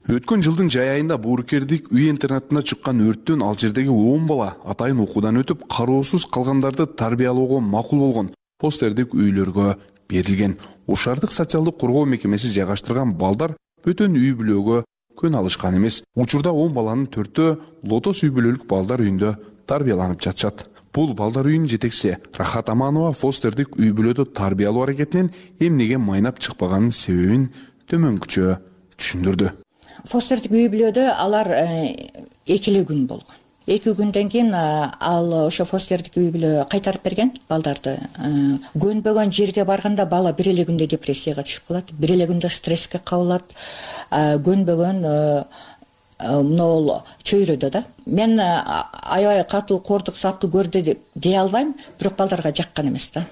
Өткөн жылдын жай айында Боорукердик үй интернатына чыккан өрттөн ал жердеги 10 бала атайын окуудан өтүп, кароосуз калгандарды тарбиялоого макул болгон фостердик үйлөргө берилген. Ушардык социалдык коргоо мекемеси жайгаштырган балдар бөтөн үй бүлөгө көн алышкан эмес. Учурда 10 баланын 4-өө Лотос үй бүлөлүк балдар үйүндө тарбияланып жатышат. Бул балдар үйүнүн жетекчиси Рахат Аманова фостердик үй бүлөдө тарбиялоо аракетинин эмнеге майнап чыкпаганын себебин төмөнкүчө түшүндүрдү. Фостердик үй бүлөдө алар 2 күн болгон. 2 күндөн кийин ал ошо фостердик үй бүлө кайтарып берген балдарды. Көнбөгөн жерге барганда бала бир эле күндө депрессияга түшүп калат, бир эле күндө стресске кабылат. Көнбөгөн могул чөйрөдө да. Мен аябай катуу кордук сапты көрдү деп дей албайм, бирок балдарга жаккан эмес да.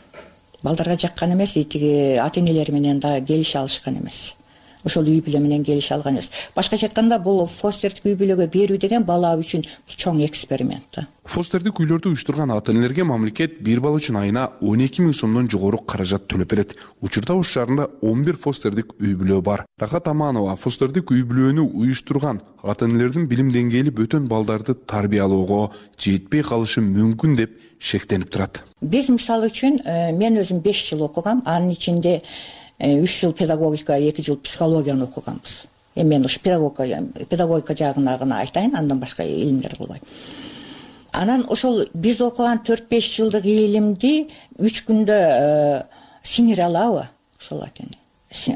Балдарга жаккан эмес, тиги ата-энелер менен да келише алышкан эмес. Ошол үй бүлө менен келише алган эмес. Башкача айтканда, бул фостердик үй бүлөгө берүү деген бала үчүн чоң эксперимент да. Фостердик үйлөрдү уюштурган ата-энелерге мамлекет бир бала үчүн айына 12 000 сомдон жогору каражат төлөп берет. Учурда Ош шаарында 11 фостердик үй бүлө бар. Рахат Аманова фостердик үй бүлөнү уюштурган ата-энелердин билим деңгээли бөтөн балдарды тарбиялоого жетпей калышы мүмкүн деп шектенип турат. Биз мисалы үчүн мен өзүм 5 жыл окугам, анын ичинде 3 жыл педагогика, 2 жыл психологияны окуганбыз. Мен ушу педагогика жагына гана айтайын, андан башка илимдер кылбайм. Анан ошол биз окуган 4-5 жылдык илимди 3 күндө сиңире алабы? Ошол экен.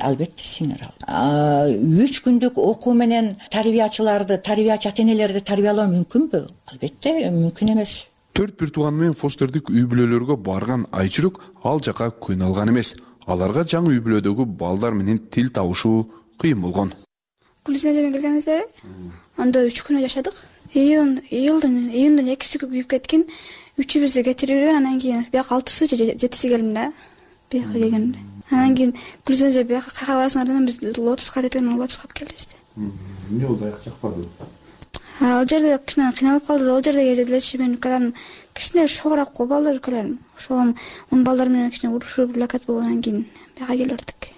Албетте сиңире алат. 3 күндүк окуу менен тарбиячыларды, тарбиячы ата-энелерди тарбиялоо мүмкүнбү? Албетте мүмкүн эмес. 4 бир тууганы менен фостердик үй бүлөлөргө барган Айчүрүк ал жака көн алган эмес. Аларга жаңы үй бүлөдөгү балдар менен тил табышуу кыйын болгон. Гүлзенеме келгенибизде анда 3 күнө жашадык. Июлдун 2-си күйүп кеткен. 3-үбүздү кетирген, анан кийин бияка 6-сы же 7-си келдим да. Бияка келгенде. Анан кийин Гүлзене бияка кайга барасыңар дедим, биз Лотоска кеткен, Лотоска келип келди. Эмне болду, аяк жакпады? Ал жерде кичине кыйналып калды. Ал жерде кезелечи мен укаларым кичине шогураак го балдар укаларым. Ошол он балдар менен кичине урушуп лакат болгондон кийин бияка келип бердик.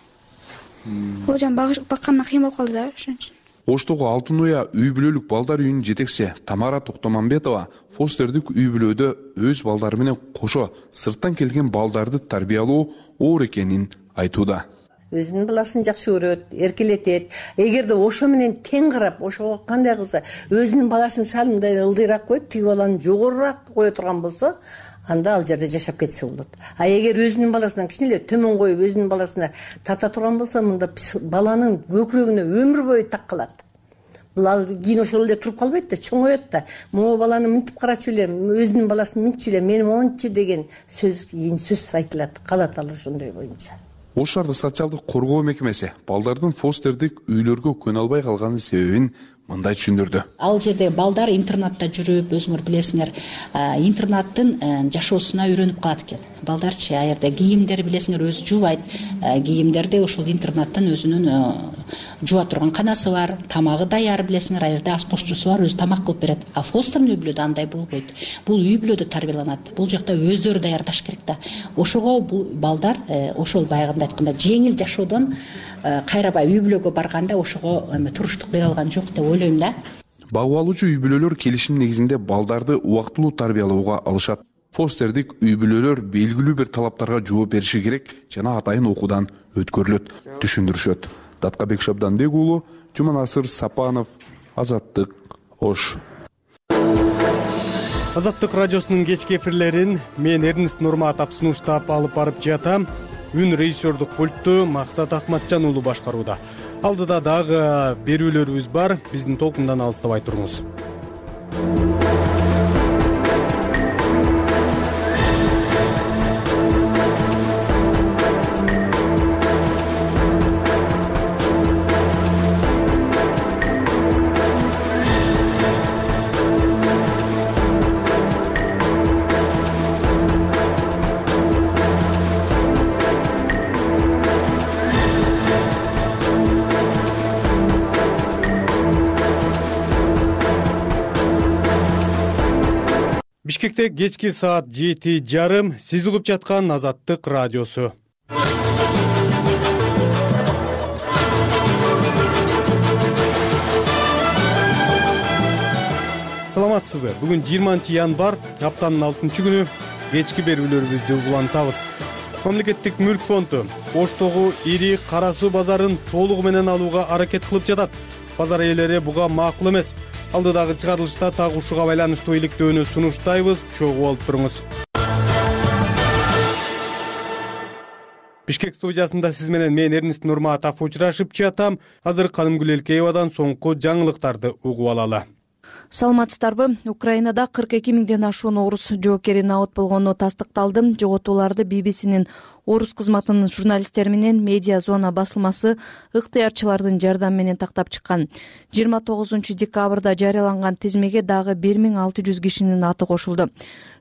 Ол жан баккандан кыйын болуп калды да, ошон үчүн. Оштогу Алтын Уя үй бүлөлүк балдар үйүнүн жетекчиси Тамара Токтомамбетова фостердик үй бүлөдө өз балдары менен кошо сырттан келген балдарды тарбиялоо оор экенин айтууда. Өзүнүн баласын жакшы көрөт, эркелетет. Эгерде ошо менен тең карап, ошого кандай кылса, өзүнүн баласын сал мындай ылдыйраак коюп, тиги баланы жогорураак кое турган болсо, анда ал жерде жашап кетсе болот. А эгер өзүнүн баласынан кичине эле төмөн коюп, өзүнүн баласына тарта турган болсо, мында баланын көкүрөгүнө өмүр бою так калат. Бул ал кийин ошол эле туруп калбайт да, чоңоет да. Могу баланы мынтип карачу элем, өзүнүн баласын мынтчу элем, менин мончу деген сөз кийин сөз айтылат, калат ал ошондой боюнча. Ош шаардык социалдык коргоо мекемеси балдардын фостердик үйлөргө көнө албай калганын себебин мындай түшүндүрдү. Ал жерде балдар интернатта жүрүп, өзүңөр билесиңер, интернаттын жашоосуна үйрөнүп калат экен. Балдарчы а жерде кийимдер билесиңер өзү жуубайт. Кийимдерди ошол интернаттан өзүнүн жууа турган канасы бар, тамагы даяр билесиңер, а жерде ашпозчусу бар, өзү тамак кылып берет. А фостердик үй бүлөдө андай болбойт. Бул үй бүлөдө тарбияланат. Бул жакта өздөрү даярдаш керек да. Ошого бул балдар ошол баягында айтканда жеңил жашоодон кайрабай үй бүлөгө барганда ошого туруштук бере алган жок деп ойлойм да. Багып алуучу үй бүлөлөр келишим негизинде балдарды убактылуу тарбиялоого алышат. Фостердик үй бүлөлөр белгилүү бир талаптарга жооп бериши керек жана атайын окуудан өткөрүлөт, түшүндүрүшөт. Даткабек Шабданбек уулу, Жуманасыр Сапанов, Азаттык, Ош. Азаттык радиосунун кечки эфирлерин мен Эрнест Нурматов сунуштап алып барып жатам. Үн режиссердук пультту Максат Акматжан уулу башкарууда. Алдыда дагы берүүлөрүбүз бар. Биздин толкундан алыстабай туруңуз. Бишкекте кечки саат 7:30. Сиз угуп жаткан Азаттык радиосу. Саламатсызбы? Бүгүн 20 январь, аптанын 6-күнү. Кечки берүүлөрүбүздү улантабыз. Мамлекеттик мүлк фонду Оштогу ири кара суу базарын толугу менен алууга аракет кылып жатат. Базар ээлери буга макул эмес. Алдыдагы чыгарылышта так ушуга байланыштуу иликтөөнү сунуштайбыз. Чогуу болуп туруңуз. Бишкек студиясында сиз менен мен Эрнест Нурматов учурашып жатам. Азыр Канымгүл Элкеевадан соңку жаңылыктарды угуп алалы. Саламатсыздарбы? Украинада 42 миңден ашуун орус жоокери набыт болгону тастыкталды. Жоготууларды BBC-нин орус кызматынын журналисттери менен медиа зона басылмасы ыктыярчылардын жардамы менен тактап чыккан. 29 декабрда жарыяланган тизмеге дагы 1600 кишинин аты кошулду.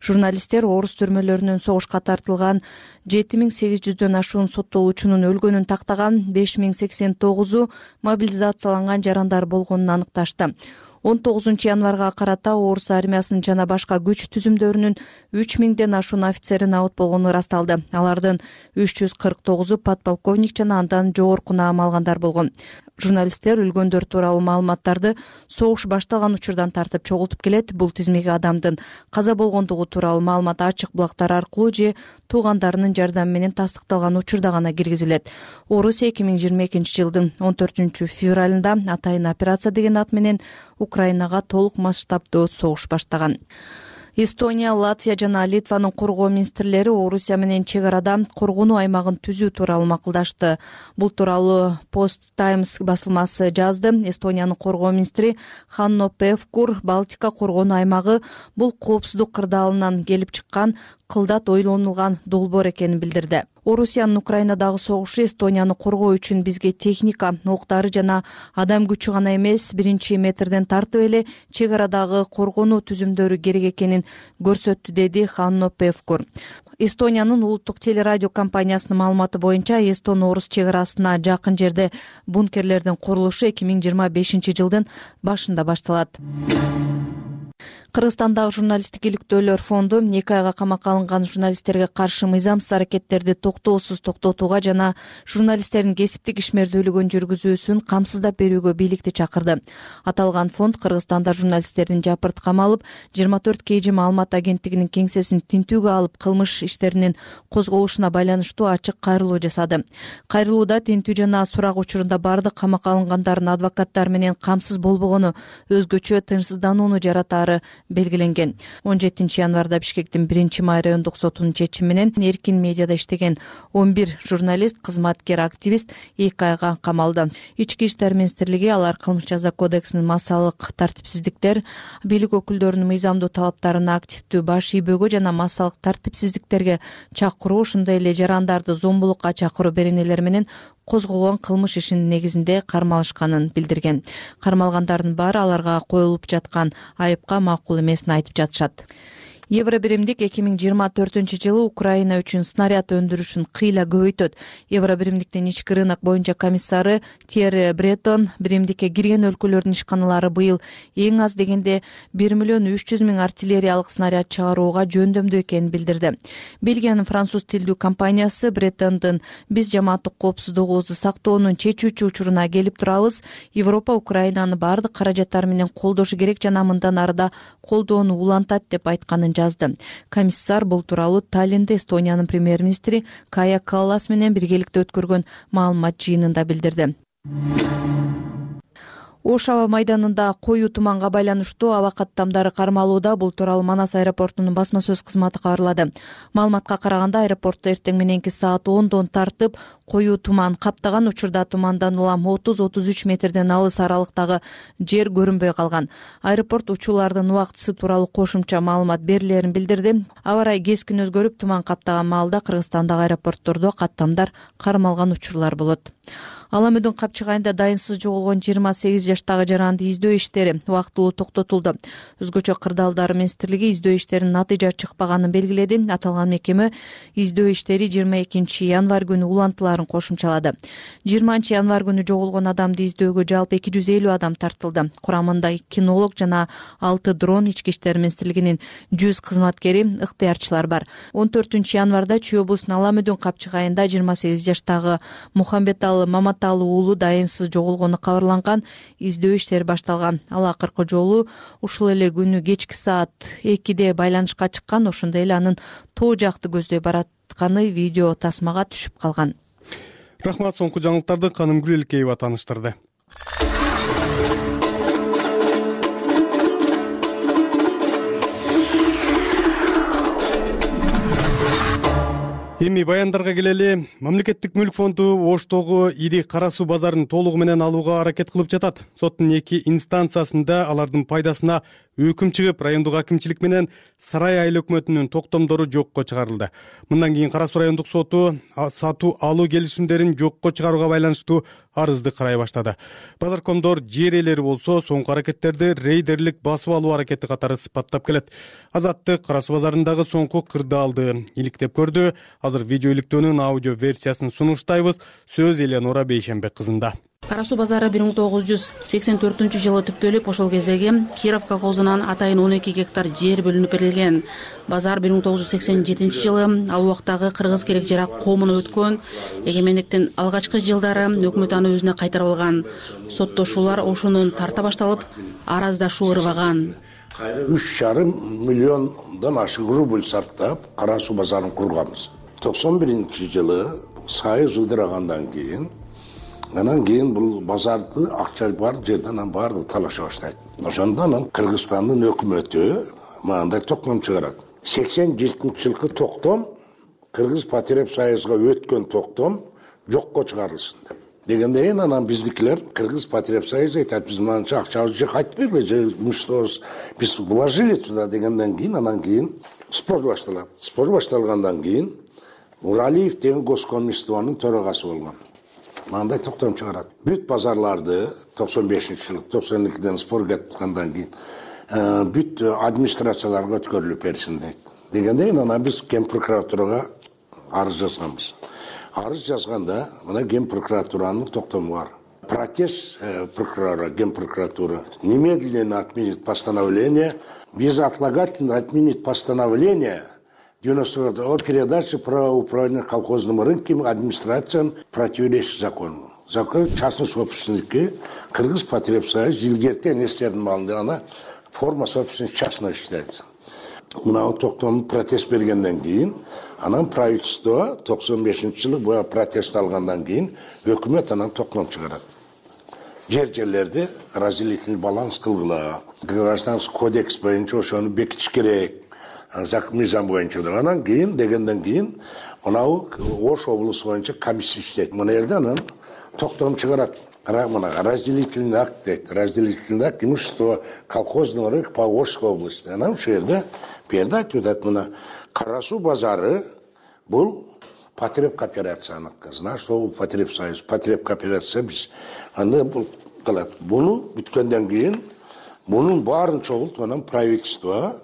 Журналисттер орус түрмөлөрүнөн согушка тартылган 7800дөн ашуун соттолуучунун өлгөнүн тактаган, 5089 мобилизацияланган жарандар болгонун аныкташты. 19 январга карата орус армиясынын жана башка күч түзүмдөрүнүн 3000ден ашуун офицери набыт болгону ырасталды. Алардын 349 подполковник жана андан жогорку наам алгандар болгон. Журналисттер өлгөндөр тууралуу маалыматтарды согуш башталган учурдан тартып чогултуп келет. Бул тизмеге адамдын каза болгондугу тууралуу маалымат ачык булактар аркылуу же туугандарынын жардамы менен тастыкталган учурда гана киргизилет. Орусия 2022 жылдын 14 февралында атайын операция деген ат менен Украинага толук масштабдуу согуш баштаган. Эстония, Латвия жана Литванын коргоо министрлери Орусия менен чек арада коргонуу аймагын түзүү тууралуу макулдашты. Бул тууралуу Post Times басылмасы жазды. Эстониянын коргоо министри Ханно Певкур Балтика коргонуу аймагы бул коопсуздук кырдаалынан келип чыккан кылдат ойлонулган долбоор экенин билдирди. Орусиянын Украинадагы согушу Эстонияны коргоо үчүн бизге техника, октары жана адам күчү гана эмес, биринчи метрден тартып эле чек арадагы коргонуу түзүмдөрү керек экенин көрсөттү, деди Ханно Певкур. Эстониянын улуттук телерадио компаниясынын маалыматы боюнча Эстон-орус чек арасына жакын жерде бункерлердин курулушу 2025 жылдын башында башталат. Кыргызстандагы журналисттик иликтөөлөр фонду 2 айга камакка алынган журналисттерге каршы мыйзамсыз аракеттерди токтоосуз токтотууга жана журналисттердин кесиптик ишмердүүлүгүн жүргүзүүсүн камсыздап берүүгө бийликти чакырды. Аталган фонд Кыргызстанда журналисттердин жапырт камалып, 24 KG маалымат агенттигинин кеңсесин тинтүүгө алып, кылмыш иштеринин козголушуна байланыштуу ачык кайрылуу жасады. Кайрылууда тинтүү жана сурак учурунда бардык камакка алынгандардын адвокаттары менен камсыз болбогону өзгөчө тынчсызданууну жаратаары белгиленген. 17 январда Бишкектин 1-май райондук сотунун чечими менен эркин медиада иштеген 11 журналист, кызматкер, активист 2 айга камалды. Ички иштер министрлиги алар кылмыш жаза кодексинин массалык тартипсиздиктер, бийлик өкүлдөрүнүн мыйзамдуу талаптарына активдүү баш ийбөөгө жана массалык тартипсиздиктерге чакыруу, ошондой эле жарандарды зомбулукка чакыруу беренелери менен козголгон кылмыш ишинин негизинде кармалышканын билдирген. Кармалгандардын баары аларга коюлуп жаткан айыпка макул эмесин айтып жатышат. Евробиримдик 2024 жылы Украина үчүн снаряд өндүрүшүн кыйла көбөйтөт. Евробиримдиктин ички рынок боюнча комиссары Тьерри Бретон биримдикке кирген өлкөлөрдүн ишканалары быйыл эң аз дегенде 1,3 миллион артиллериялык снаряд чыгарууга жөндөмдүү экенин билдирди. Бельгиянын француз тилдүү компаниясы Бретондун «Биз жамааттык коопсуздугубузду сактоонун чечүүчү учуруна келип турабыз. Европа Украинаны бардык каражаттар менен колдошу керек жана мындан арыда колдоону улантат» деп айтканын жазды. Комиссар бул тууралуу Таллинде Эстониянын премьер-министри Кая Каллас менен биргеликте өткөргөн маалымат жыйынында билдирди. Ош аба майданында коюу туманга байланыштуу аба каттамдары кармалууда. Бул тууралуу Манас аэропортунун басма сөз кызматы кабарлады. Маалыматка караганда, аэропортто эртең мененки саат 10дон тартып коюу туман каптаган учурда тумандан улам 30-33 метрден алыс аралыктагы жер көрүнбөй калган. Аэропорт учуулардын убактысы тууралуу кошумча маалымат берилерин билдирди. Аба ырайы кескин өзгөрүп, туман каптаган маалда Кыргызстандагы аэропорттордо каттамдар кармалган учурлар болот. Ала Мөдүн Капчыгайында дайынсыз жоголгон 28 жаштагы жаранды издөө иштери убактылуу токтотулду. Өзгөчө кырдаалдар министрлиги издөө иштеринин натыйжа чыкпаганын белгиледи. Аталган мекеме издөө иштери 22 январь күнү улантыларын кошумчалады. 20 январь күнү жоголгон адамды издөөгө жалпы 250 адам тартылды. Курамында кинолог жана 6 дрон, ички иштер министрлигинин 100 кызматкери, ыктыярчылар бар. 14 январда Чүй облусунун Ала Мөдүн Капчыгайында 28 жаштагы Мухамбеталы Маматалы уулу дайынсыз жоголгону кабарланган. Издөө иштери башталган. Ал акыркы жолу ушул эле күнү кечки саат 2-де байланышка чыккан. Ошондой эле анын тоо жакты көздөй баратканы видео тасмага түшүп калган. Рахмат, соңку жаңылыктарды Канымгүл Элкеева тааныштырды. Эми баяндарга келели. Мамлекеттик мүлк фонду Оштогу ири кара суу базарын толугу менен алууга аракет кылып жатат. Соттун 2 инстанциясында алардын пайдасына өкүм чыгып, райондук акимчилик менен Сарай айыл өкмөтүнүн токтомдору жокко чыгарылды. Мындан кийин Кара суу райондук соту сатуу алуу келишимдерин жокко чыгарууга байланыштуу арызды карай баштады. Базаркомдор жер ээлери болсо соңку аракеттерди рейдерлик басып алуу аракети катары сыпаттап келет. Азаттык Кара суу базарындагы соңку кырдаалды иликтеп көрдү. Азыр видео иликтөөнүн аудио версиясын сунуштайбыз. Сөз Элеонора Бейшенбек кызында. Кара суу базары 1984-жылы түптөлүп, ошол кездеги Киров колхозунан атайын 12 гектар жер бөлүнүп берилген. Базар 1987-жылы ал убактагы кыргыз керек жарак коомуна өткөн. Эгемендиктин алгачкы жылдары өкмөт аны өзүнө кайтарып алган. Соттошуулар ошонун тарта башталып, араздашуу ырбаган. 3,5 миллиондон ашык рубль сарптап Кара суу базарын курганбыз. 91-жылы сайыз ылдырагандан кийин анан кийин бул базарды акча бар жерден баардыгы талаша баштайт. Ошондон Кыргызстандын өкмөтү мындай токтом чыгарат. 87-жылкы токтом Кыргыз Патреп Союзга өткөн токтом жокко чыгарылсын деп. Дегенден кийин анан биздикилер Кыргыз Патреп Союз айтат, биз мынанча акчабызды же кайтып бергиле, же биз вложили туда дегенден кийин анан кийин спор башталат. Спор башталгандан кийин Уралиев деген госкомиствонун төрагасы болгон. Мындай токтом чыгарат. Бүт базарларды 95-жылы 92-ден спор кеткендан кийин бүт администрацияларга өткөрүлүп берсин дейт. Дегенден кийин анан биз Ген прокуратурага арыз жазганбыз. Арыз жазганда мына Ген прокуратуранын токтому бар. Протест прокурора Ген прокуратура немедленно отменит постановление, безотлагательно отменит постановление 90 о передаче права управления колхозным рынком администрациям противоречит закону. Закон частной собственники Кыргыз Патреп Союз илгертен эстердин маалында ана форма собственности частная считается. Мына токтом протест бергенден кийин анан правительство 95-жылы бу протест алгандан кийин өкмөт анан токтом чыгарат. Жерлерди разделительный баланс кылгыла. Гражданский кодекс боюнча ошону бекитиш керек. Мыйзам боюнча анан кийин дегенден кийин мынау Ош облусу боюнча комиссия иштейт. Мына жерде анан токтом чыгарат. Мына разделительный акт дейт. Разделительный акт имущество колхозного рынка по Ошской области. Анан ушул жерде айтып атат, мына Кара суу базары бул Патреп кооперацияныкы. Знаешь, что бул Патреп Союз, Патреп кооперация биз аны бул кылат. Буну бүткөндөн кийин мунун баарын чогултуп анан правительство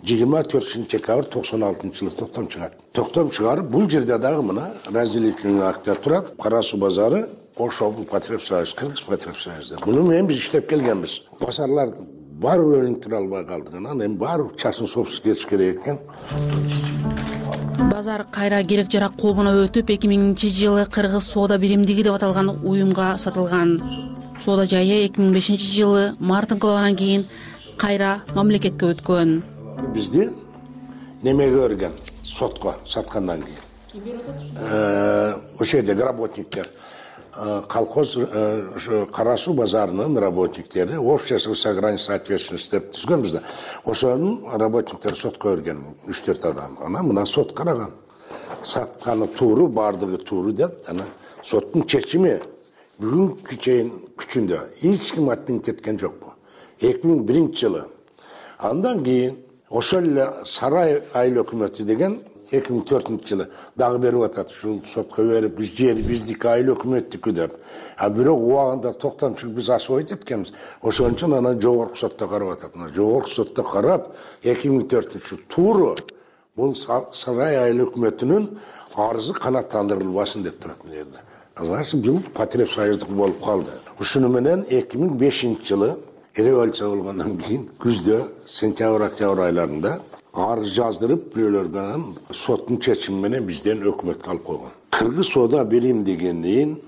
24 декабрь 96-жылы токтом чыгат. Токтом чыгарып, бул жерде дагы мына разделительный акттар турат. Кара суу базары Ош облус Патреп Союз, Кыргыз Патреп Союз. Буну менен биз иштеп келгенбиз. Базарлар баары өнүктүрө албай калдык. Анан эми баары частный собственность кетиш керек экен. Базар кайра керек жарак коомуна өтүп, 2000-жылы Кыргыз соода биримдиги деп аталган уюмга сатылган. Соода жайы 2005-жылы март инкылабынан кийин кайра мамлекетке өткөн. Бизди немеге берген сотко саткандан кийин. Ошол жердеги работниктер колхоз Кара суу базарынын работниктери общество с ограниченной ответственностью деп түзгөнбүз да. Ошонун работниктери сотко берген 3-4 адам. Анан мына сот караган. Сатканы тууру, бардыгы тууру деп, анан соттун чечими бүгүнкү чейин күчүндө. Эч ким отменить эткен жокпу. 2001-жылы. Андан кийин ошол эле Сарай айыл өкмөтү деген 2004-жылы дагы берип атат, ушул сотко берип, биз жер биздики, айыл өкмөттүкү деп. Бирок убагында токтомчулук биз ашыбайт эткенбиз. Ошон үчүн анан жогорку сотто карап атат. Жогорку сотто карап 2004-жылы тууру бул сарай айыл өкмөтүнүн арызы канааттандырылбасын деп турат мына жерде. Значит, бул Потребсоюздук болуп калды. Ушуну менен 2005-жылы революция болгондон кийин күздө, сентябрь-октябрь айларында арыз жаздырып, бирөөлөр менен соттун чечими менен бизден өкмөткө алып койгон. Кыргыз соода биримдигинин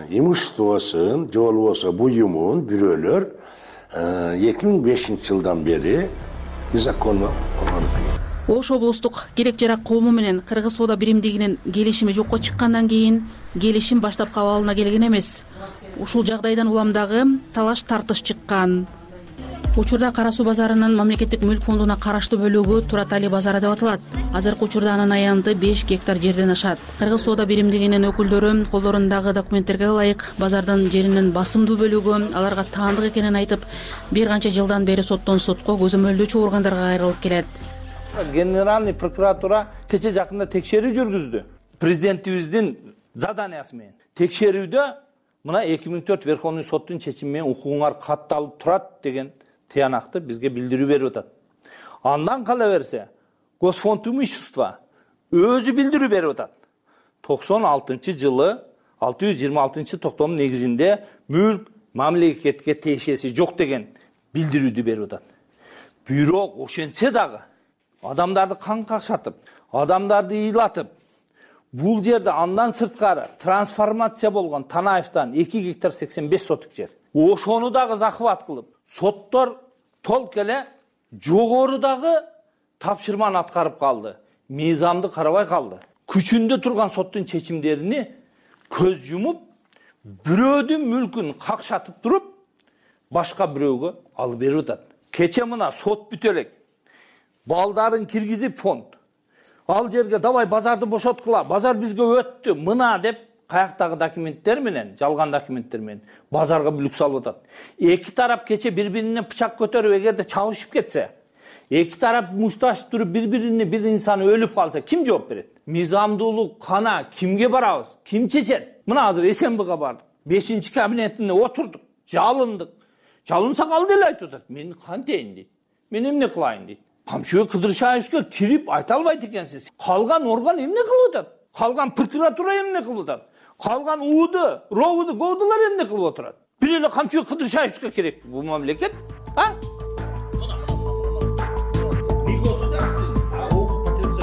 имуществосун, же болбосо буюмун бирөөлөр 2005-жылдан бери незаконно койгон. Ош облустук керек жарак коому менен Кыргыз соода биримдигинин келишими жокко чыккандан кийин келишим баштапкы абалына келген эмес. Ушул жагдайдан улам дагы талаш тартыш чыккан. Учурда Кара суу базарынын мамлекеттик мүлк фондуна караштуу бөлүгү Туратали базары деп аталат. Азыркы учурда анын аянты 5 гектар жерден ашат. Кыргыз соода биримдигинин өкүлдөрү колдорундагы документтерге ылайык базардын жеринин басымдуу бөлүгү аларга таандык экенин айтып, бир канча жылдан бери соттон сотко көзөмөлдөөчү органдарга кайрылып келет. Генеральный прокуратура кече жакында текшерүү жүргүздү. Президентибиздин заданиясы менен. Текшерүүдө мына 2004 Верховный соттун чечими менен укугуңар катталып турат деген тыянакты бизге билдирүү берип атат. Андан кала берсе, Госфонд имущества өзү билдирүү берип атат. 96-жылы 626-токтомдун негизинде мүлк мамлекетке тиешеси жок деген билдирүүдү берип атат. Бирок ошентсе дагы адамдарды кан какшатып, адамдарды ыйлатып, бул жерде андан сырткары трансформация болгон Танаевден 2 гектар 85 соток жер. Ошону дагы захват кылып, соттор толк эле жогорудагы тапшырманы аткарып калды. Мыйзамды карабай калды. Күчүндө турган соттун чечимдерини көз жумуп, бирөөдүн мүлкүн какшатып туруп, башка бирөөгө алып берип атат. Кече мына сот бүтө элек. Балдарын киргизип фонд. Ал жерге давай базарды бошоткула, базар бизге өттү, мына деп каяктагы документтер менен, жалган документтер менен базарга бүлүк салып атат. Эки тарап кече бири-бирине пычак көтөрүп эгерде чабышып кетсе, эки тарап мушташып туруп бири-бирине бир инсан өлүп калса, ким жооп берет? Мыйзамдуулук кана кимге барабыз? Ким чечет? Мына азыр СМБга бардык. 5-кабинетине отурдук, жалындык. Жалынсак ал деле айтып атат. Мен кантейин дейт. Мен эмне кылайын дейт. Камчыбек Кыдыршаевге кирип айта албайт экенсиз. Калган орган эмне кылып атат? Калган прокуратура эмне кылып атат? Калган УУД, РОУД, ГОУДлар эмне кылып отурат? Бир эле Камчыбек Кыдыршаевге керек бул мамлекет,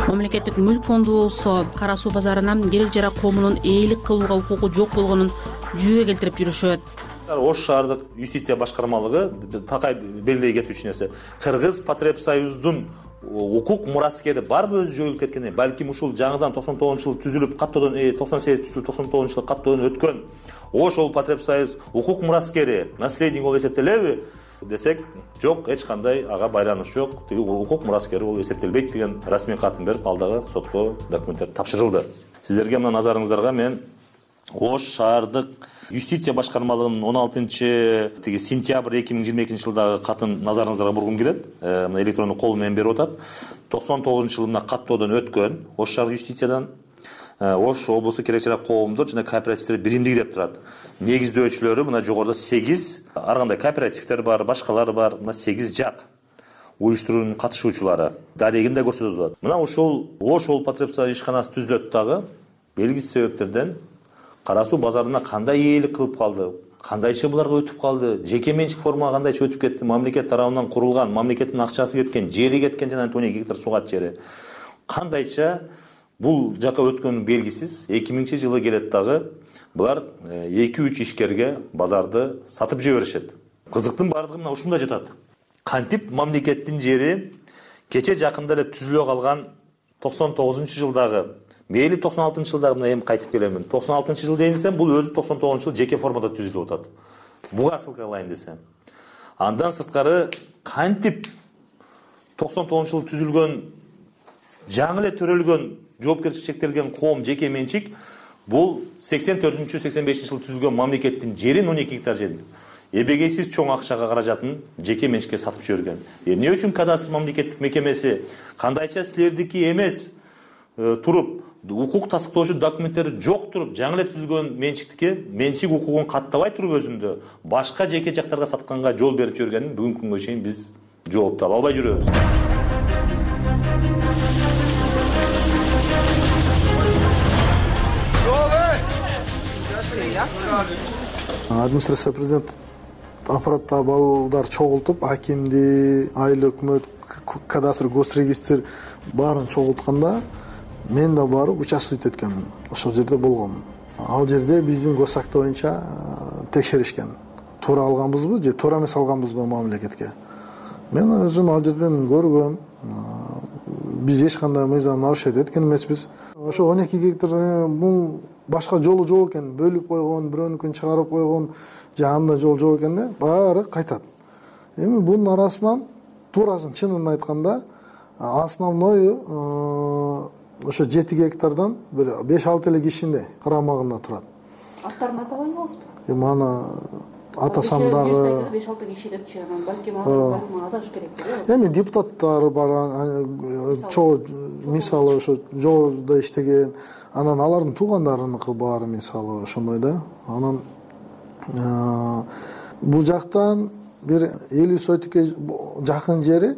Мамлекеттик мүлк фонду болсо Кара суу базарынан керек жарак коомунун ээлик кылууга укугу жок болгонун жүйө келтирип жүрүшөт. Ош шаардык юстиция башкармалыгы такай белгилей кетүүчү нерсе. Кыргыз Потребсоюздун укук мураскери барбы өзү жоюлуп кеткен, балким ушул жаңыдан 99-жылы түзүлүп, каттоодон 98 түзүлүп 99-жылы каттоодон өткөн Ош ол Потребсоюз укук мураскери наследник болуп эсептелеби десек, жок, эч кандай ага байланыш жок. Тиги укук мураскери болуп эсептелбейт деген расмий катын берип, ал дагы сотко документтер тапшырылды. Сиздерге мына назарыңыздарга мен Ош шаардык юстиция башкармалыгынын 16-сентябрь 2022-жылдагы катын назарыңыздарга бургум келет. Мына электрондук кол менен берип атат. 99-жылы мына каттоодон өткөн Ош шаардык юстициядан Ош облусту керек жарак коомдор жана кооперативдер биримдиги деп турат. Негиздөөчүлөрү мына жогоруда 8, ар кандай кооперативдер бар, башкалар бар, мына 8 жак уюштуруунун катышуучулары. Дарегин да көрсөтүп атат. Мына ушул Ош ол Потребсоюз ишканасы түзүлөт дагы белгисиз себептерден Кара суу базарына кандай ээлик кылып калды, кандайча буларга өтүп калды, жеке менчик формага кандайча өтүп кетти, мамлекет тарабынан курулган, мамлекеттин акчасы кеткен, жери кеткен жана 12 гектар сугат жери. Кандайча бул жака өткөнү белгисиз. 2000-жылы келет дагы булар 2-3 ишкерге базарды сатып жиберишет. Кызыктын бардыгы мына ушунда жатат. Кантип мамлекеттин жери кече жакында эле түзүлө калган 99-жылдагы мейли 96-жылдагы мына эми кайтып келемин. 96-жыл дейин десем, бул өзү 99-жыл жеке формада түзүлүп атат. Буга ссылка кылайын десем. Андан сырткары кантип 99-жыл түзүлгөн, жаңы эле төрөлгөн, жоопкерчилик чектелген коом жеке менчик, бул 84-85-жылы түзүлгөн мамлекеттин жерин 12 гектар жерин эбегейсиз чоң акчага каражатын жеке менчикке сатып жиберген. Эмне үчүн кадастр мамлекеттик мекемеси кандайча силердики эмес, туруп укук тастыктоочу документтери жок туруп жаңы эле түзүлгөн менчик укугун каттабай туруп өзүндө башка жеке жактарга сатканга жол берип жибергенин бүгүнкү күнгө чейин биз жоопту ала албай жүрөбүз. Администрация президент аппараттагы балдар чогултуп, акимди, айыл өкмөт, кадастр, госрегистр баарын чогултканда мен да барып участвовать эткенмин. Ошол жерде болгонмун. Ал жерде биздин госакт боюнча текшеришкен. Туура алганбызбы же туура эмес алганбызбы мамлекетке. Мен өзүм ал жерден көргөм. Биз эч кандай мыйзам нарушать эткен эмеспиз. Ошо 12 гектар бул башка жолу жок экен, бөлүп койгон, бирөөнүкүн чыгарып койгон, жанында жол жок экен да, баары кайтат. Эми бунун арасынан туурасын чынын айтканда, основной ошо 7 гектардан бир 5-6 эле кишинде карамагында турат. Аттарын айта албайсызбы? Эми аны атасам дагы 5-6 киши депчи, анан балким адаш керек. Эми депутаттар бар, чоо мисалы ошо жогоруда иштеген, анан алардын туугандарыныкы баары мисалы ошондой да. Анан бул жактан бир 50 сотикке жакын жери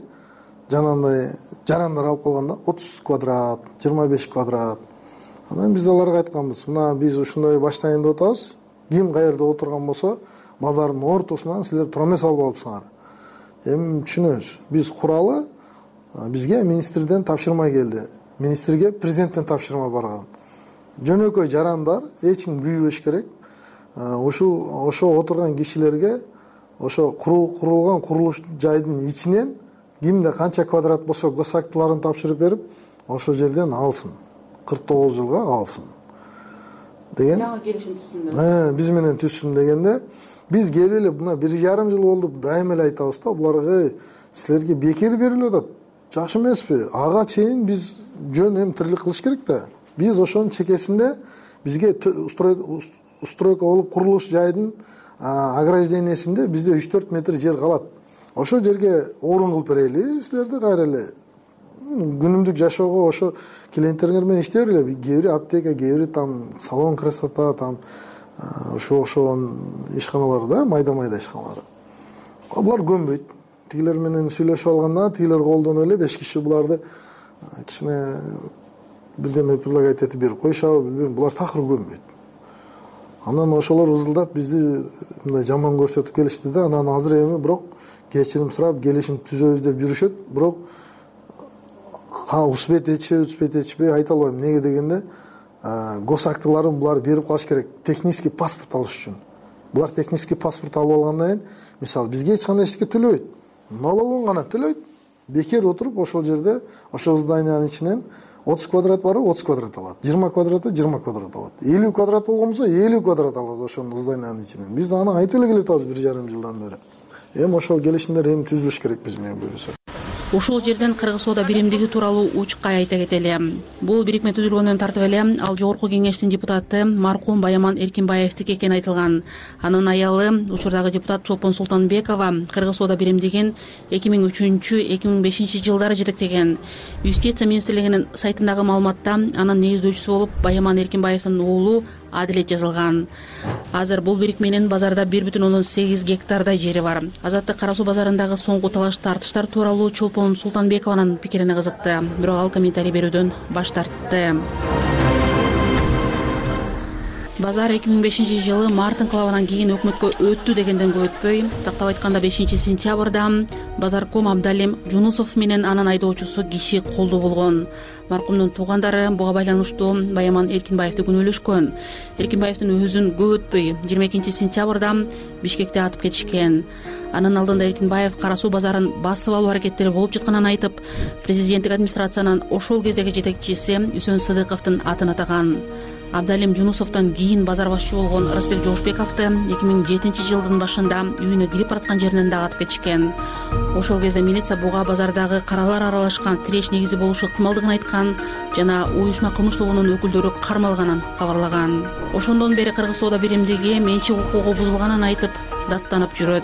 жанагындай жарандар алып калганда 30 квадрат, 25 квадрат. Анан биз аларга айтканбыз, мына биз ушундай баштайын деп атабыз. Ким каерде отурган болсо, базардын ортосунан силер тура эмес алып алыпсыңар. Эми түшүнөбүз. Биз куралы бизге министрден тапшырма келди. Министрге президенттен тапшырма барган. Жөнөкөй жарандар эч ким күйбөш керек. Ошо отурган кишилерге ошо курулган курулуш жайдын ичинен кимде канча квадрат болсо госактыларын тапшырып берип, ошол жерден алсын. 49 жылга алсын деген. Жаңы келишим түзсүн. Биз менен түзсүн дегенде, биз келели мына 1,5 жыл болду, дайыма эле айтабыз да, буларга силерге бекер берилип атат. Жакшы эмеспи? Ага чейин биз жөн эми тирлик кылыш керек да. Биз ошонун чекесинде бизге устройка болуп курулуш жайдын ограждениесинде бизде 3-4 метр жер калат. Ошол жерге орун кылып берели, силерди кайра эле күнүмдүк жашоого ошо клиенттериңер менен иштей бергиле. Кээ бири аптека, кээ бири там салон красота, там ошон ишканалар да, майда ишканалар. Булар көнбөйт. Тигилер менен сүйлөшүп алганда, тигилер колдонуп эле 5 киши буларды кичине бирдеме предлагать этип берип коюшабы, билбейм, булар такыр көнбөйт. Анан ошолор узулдап бизди мындай жаман көрсөтүп келишти да, анан азыр эми бирок кечирим сурап келишим түзөбүз деп жүрүшөт, бирок успеть этишпей айта албайм. Неге дегенде, госактыларын булар берип калыш керек, технический паспорт алыш үчүн. Булар технический паспорт алып алгандан кийин, мисалы, бизге эч кандай эчтеке төлөбөйт. Налогун гана төлөйт. Бекер отуруп ошол жерде, ошол зданиянын ичинен 30 квадрат барып 30 квадрат алат. 20 квадраты 20 квадрат алат. 50 квадрат болгон болсо 50 квадрат алат ошол зданиянын ичинен. Биз аны айтып эле келатабыз 1,5 жылдан бери. Эми ошол келишимдер эми түзүлүш керек биз менен буюрса. Ошол жерден Кыргыз соода биримдиги тууралуу учкай айта кетели. Бул бирикме түзүлгөндөн тартып эле ал жогорку кеңештин депутаты маркум Баяман Эркинбаевдики экени айтылган. Анын аялы учурдагы депутат Чолпон Султанбекова Кыргыз соода биримдигин 2003-2005 жылдары жетектеген. Юстиция министрлигинин сайтындагы маалыматта анын негиздөөчүсү болуп Баяман Эркинбаевдин уулу Адилет жазылган. Азыр бул бирикменин базарда 1,8 гектардай жери бар. Азаттык Кара Суу базарындагы соңку талаш тартыштар тууралуу Чолпон Султанбекованын пикирине кызыкты, бирок ал комментарий берүүдөн баш тартты. Базар 2005 жылы март инкылабынан кийин өкмөткө өттү дегенден көп өтпөй, тактап айтканда 5 сентябрда базарком Абдалим Жунусов менен анын айдоочусу киши колдуу болгон. Маркумдун туугандары буга байланыштуу Баяман Эркинбаевди күнөөлөшкөн. Эркинбаевдин өзүн көп өтпөй 22 сентябрда Бишкекте атып кетишкен. Анын алдында Эркинбаев Кара Суу базарын басып алуу аракеттери болуп жатканын айтып, президенттик администрациянын ошол кездеги жетекчиси Үсөн Сыдыковдун атын атаган. Абдалим Жунусовдон кийин базар башчы болгон Рысбек Жошбековду 2007 жылдын башында үйүнө кирип бараткан жеринен дагы атып кетишкен. Ошол кезде милиция буга базардагы каралар аралашкан тиреш негизи болушу ыктымалдыгын айткан жана уюшма кылмыш тобунун өкүлдөрү кармалганын кабарлаган. Ошондон бери Кыргыз соода биримдиги менчик укугу бузулганын айтып даттанып жүрөт.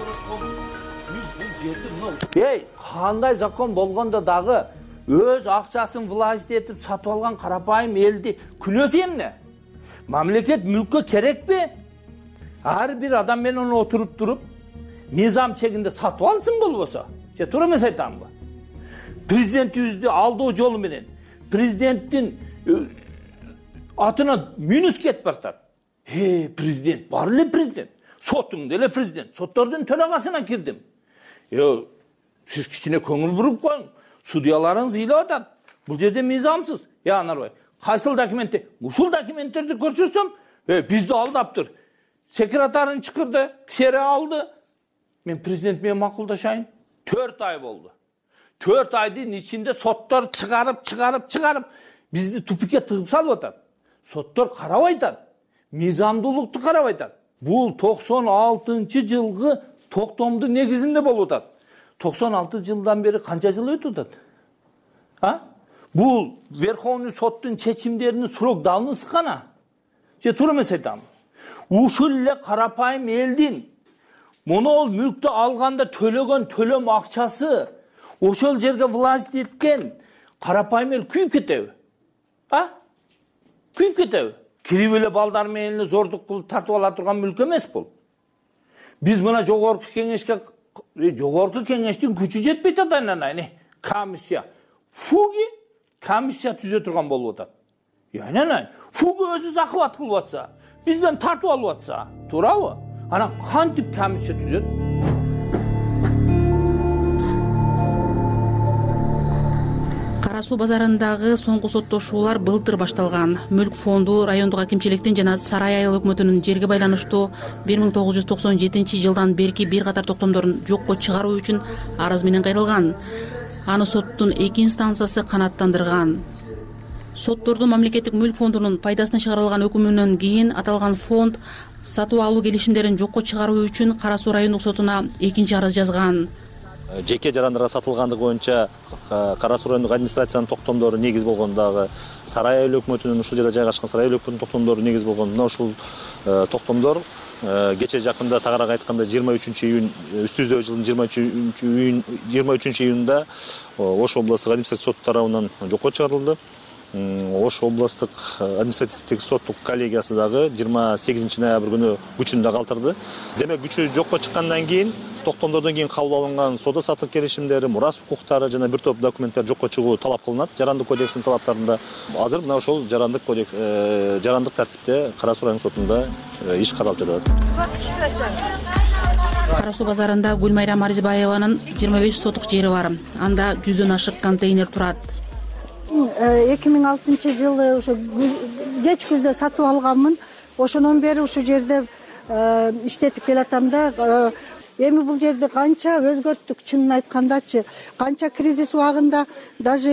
Кандай закон болгондо дагы өз акчасын власть этип сатып алган карапайым элди күнөөсү эмне? Мамлекет мүлккө керекпи? Ар бир адам менен отуруп туруп мыйзам чегинде сатып алсын болбосо. Же туура эмес айтамбы? Президентибизди алдоо жолу менен президенттин атына мүнүс кетип баратат. Президент, бар эле президент. Сотуң деле президент. Соттордун төрагасына кирдим. Сиз кичине көңүл буруп коюң. Судьяларыңыз ыйлап атат. Бул жерде мыйзамсыз. Анарбай, кайсыл документти? Ушул документтерди көрсөтсөм, бизди алдаптыр. Секретарын чакырды, ксере алды. Мен президент менен макулдашайын. 4 ай болду. 4 айдын ичинде соттор чыгарып бизди тупикке тыгып салып атат. Соттор карабай атат. Мыйзамдуулукту карабай атат. Бул 96-жылгы токтомдун негизинде болуп атат. 96 жылдан бери канча жыл өтүп атат? Бул Верховный соттун чечимдеринин срок давности кана? Же туура эмес айтам? Ушул эле карапайым элдин монол мүлктү алганда төлөгөн төлөм акчасы ошол жерге власть эткен карапайым эл күйүп кетеби? Күйүп кетеби? Кирип эле балдар менен зордук кылып тартып ала турган мүлк эмес бул. Биз мына жогорку кеңештин күчү жетпейт атайын. Комиссия. Фуги комиссия түзө турган болуп атат. Фуги өзү захват кылып атса, бизден тартып алып атса, туурабы? Анан кантип комиссия түзөт? Кара суу базарындагы соңку соттошуулар былтыр башталган. Мүлк фонду райондук акимчиликтин жана Сарай айыл өкмөтүнүн жерге байланыштуу 1997 жылдан берки бир катар токтомдорун жокко чыгаруу үчүн арыз менен кайрылган. Аны соттун 2 инстанциясы канааттандырган. Соттордун мамлекеттик мүлк фондунун пайдасына чыгарылган өкүмүнөн кийин аталган фонд сатып алуу келишимдерин жокко чыгаруу үчүн Кара суу райондук сотуна 2 арыз жазган. Жеке жарандарга сатылгандыгы боюнча Кара суу райондук администрациянын токтомдору негиз болгондагы Сарай айыл өкмөтүнүн ушул жерде жайгашкан Сарай айыл өкмөтүнүн токтомдору негиз болгон. Мына ушул токтомдор кече жакында тагыраак айтканда 23 июнь үстүбүздөгү жылдын 23 июнда Ош областтык административдик сот тарабынан жокко чыгарылды. Ош областтык административдик соттук коллегиясы дагы 28 ноябрь күнү күчүндө калтырды. Демек күчү жокко чыккандан кийин токтомдордон кийин кабыл алынган соода саттык келишимдери, мурас укуктары жана бир топ документтер жокко чыгуу талап кылынат жарандык кодекстин талаптарында. Азыр мына ошол жарандык тартипте Кара суу райондук сотунда иш каралып жатат. Кара суу базарында Гүлмайрам Арзибаеванын 25 сотук жери бар. Анда 100дөн ашык контейнер турат. 2006 жылы ошо кеч күздө сатып алганмын. Ошондон бери ушул жерде иштетип келатам да. Эми бул жерди канча өзгөрттүк, чынын айткандачы. Канча кризис убагында даже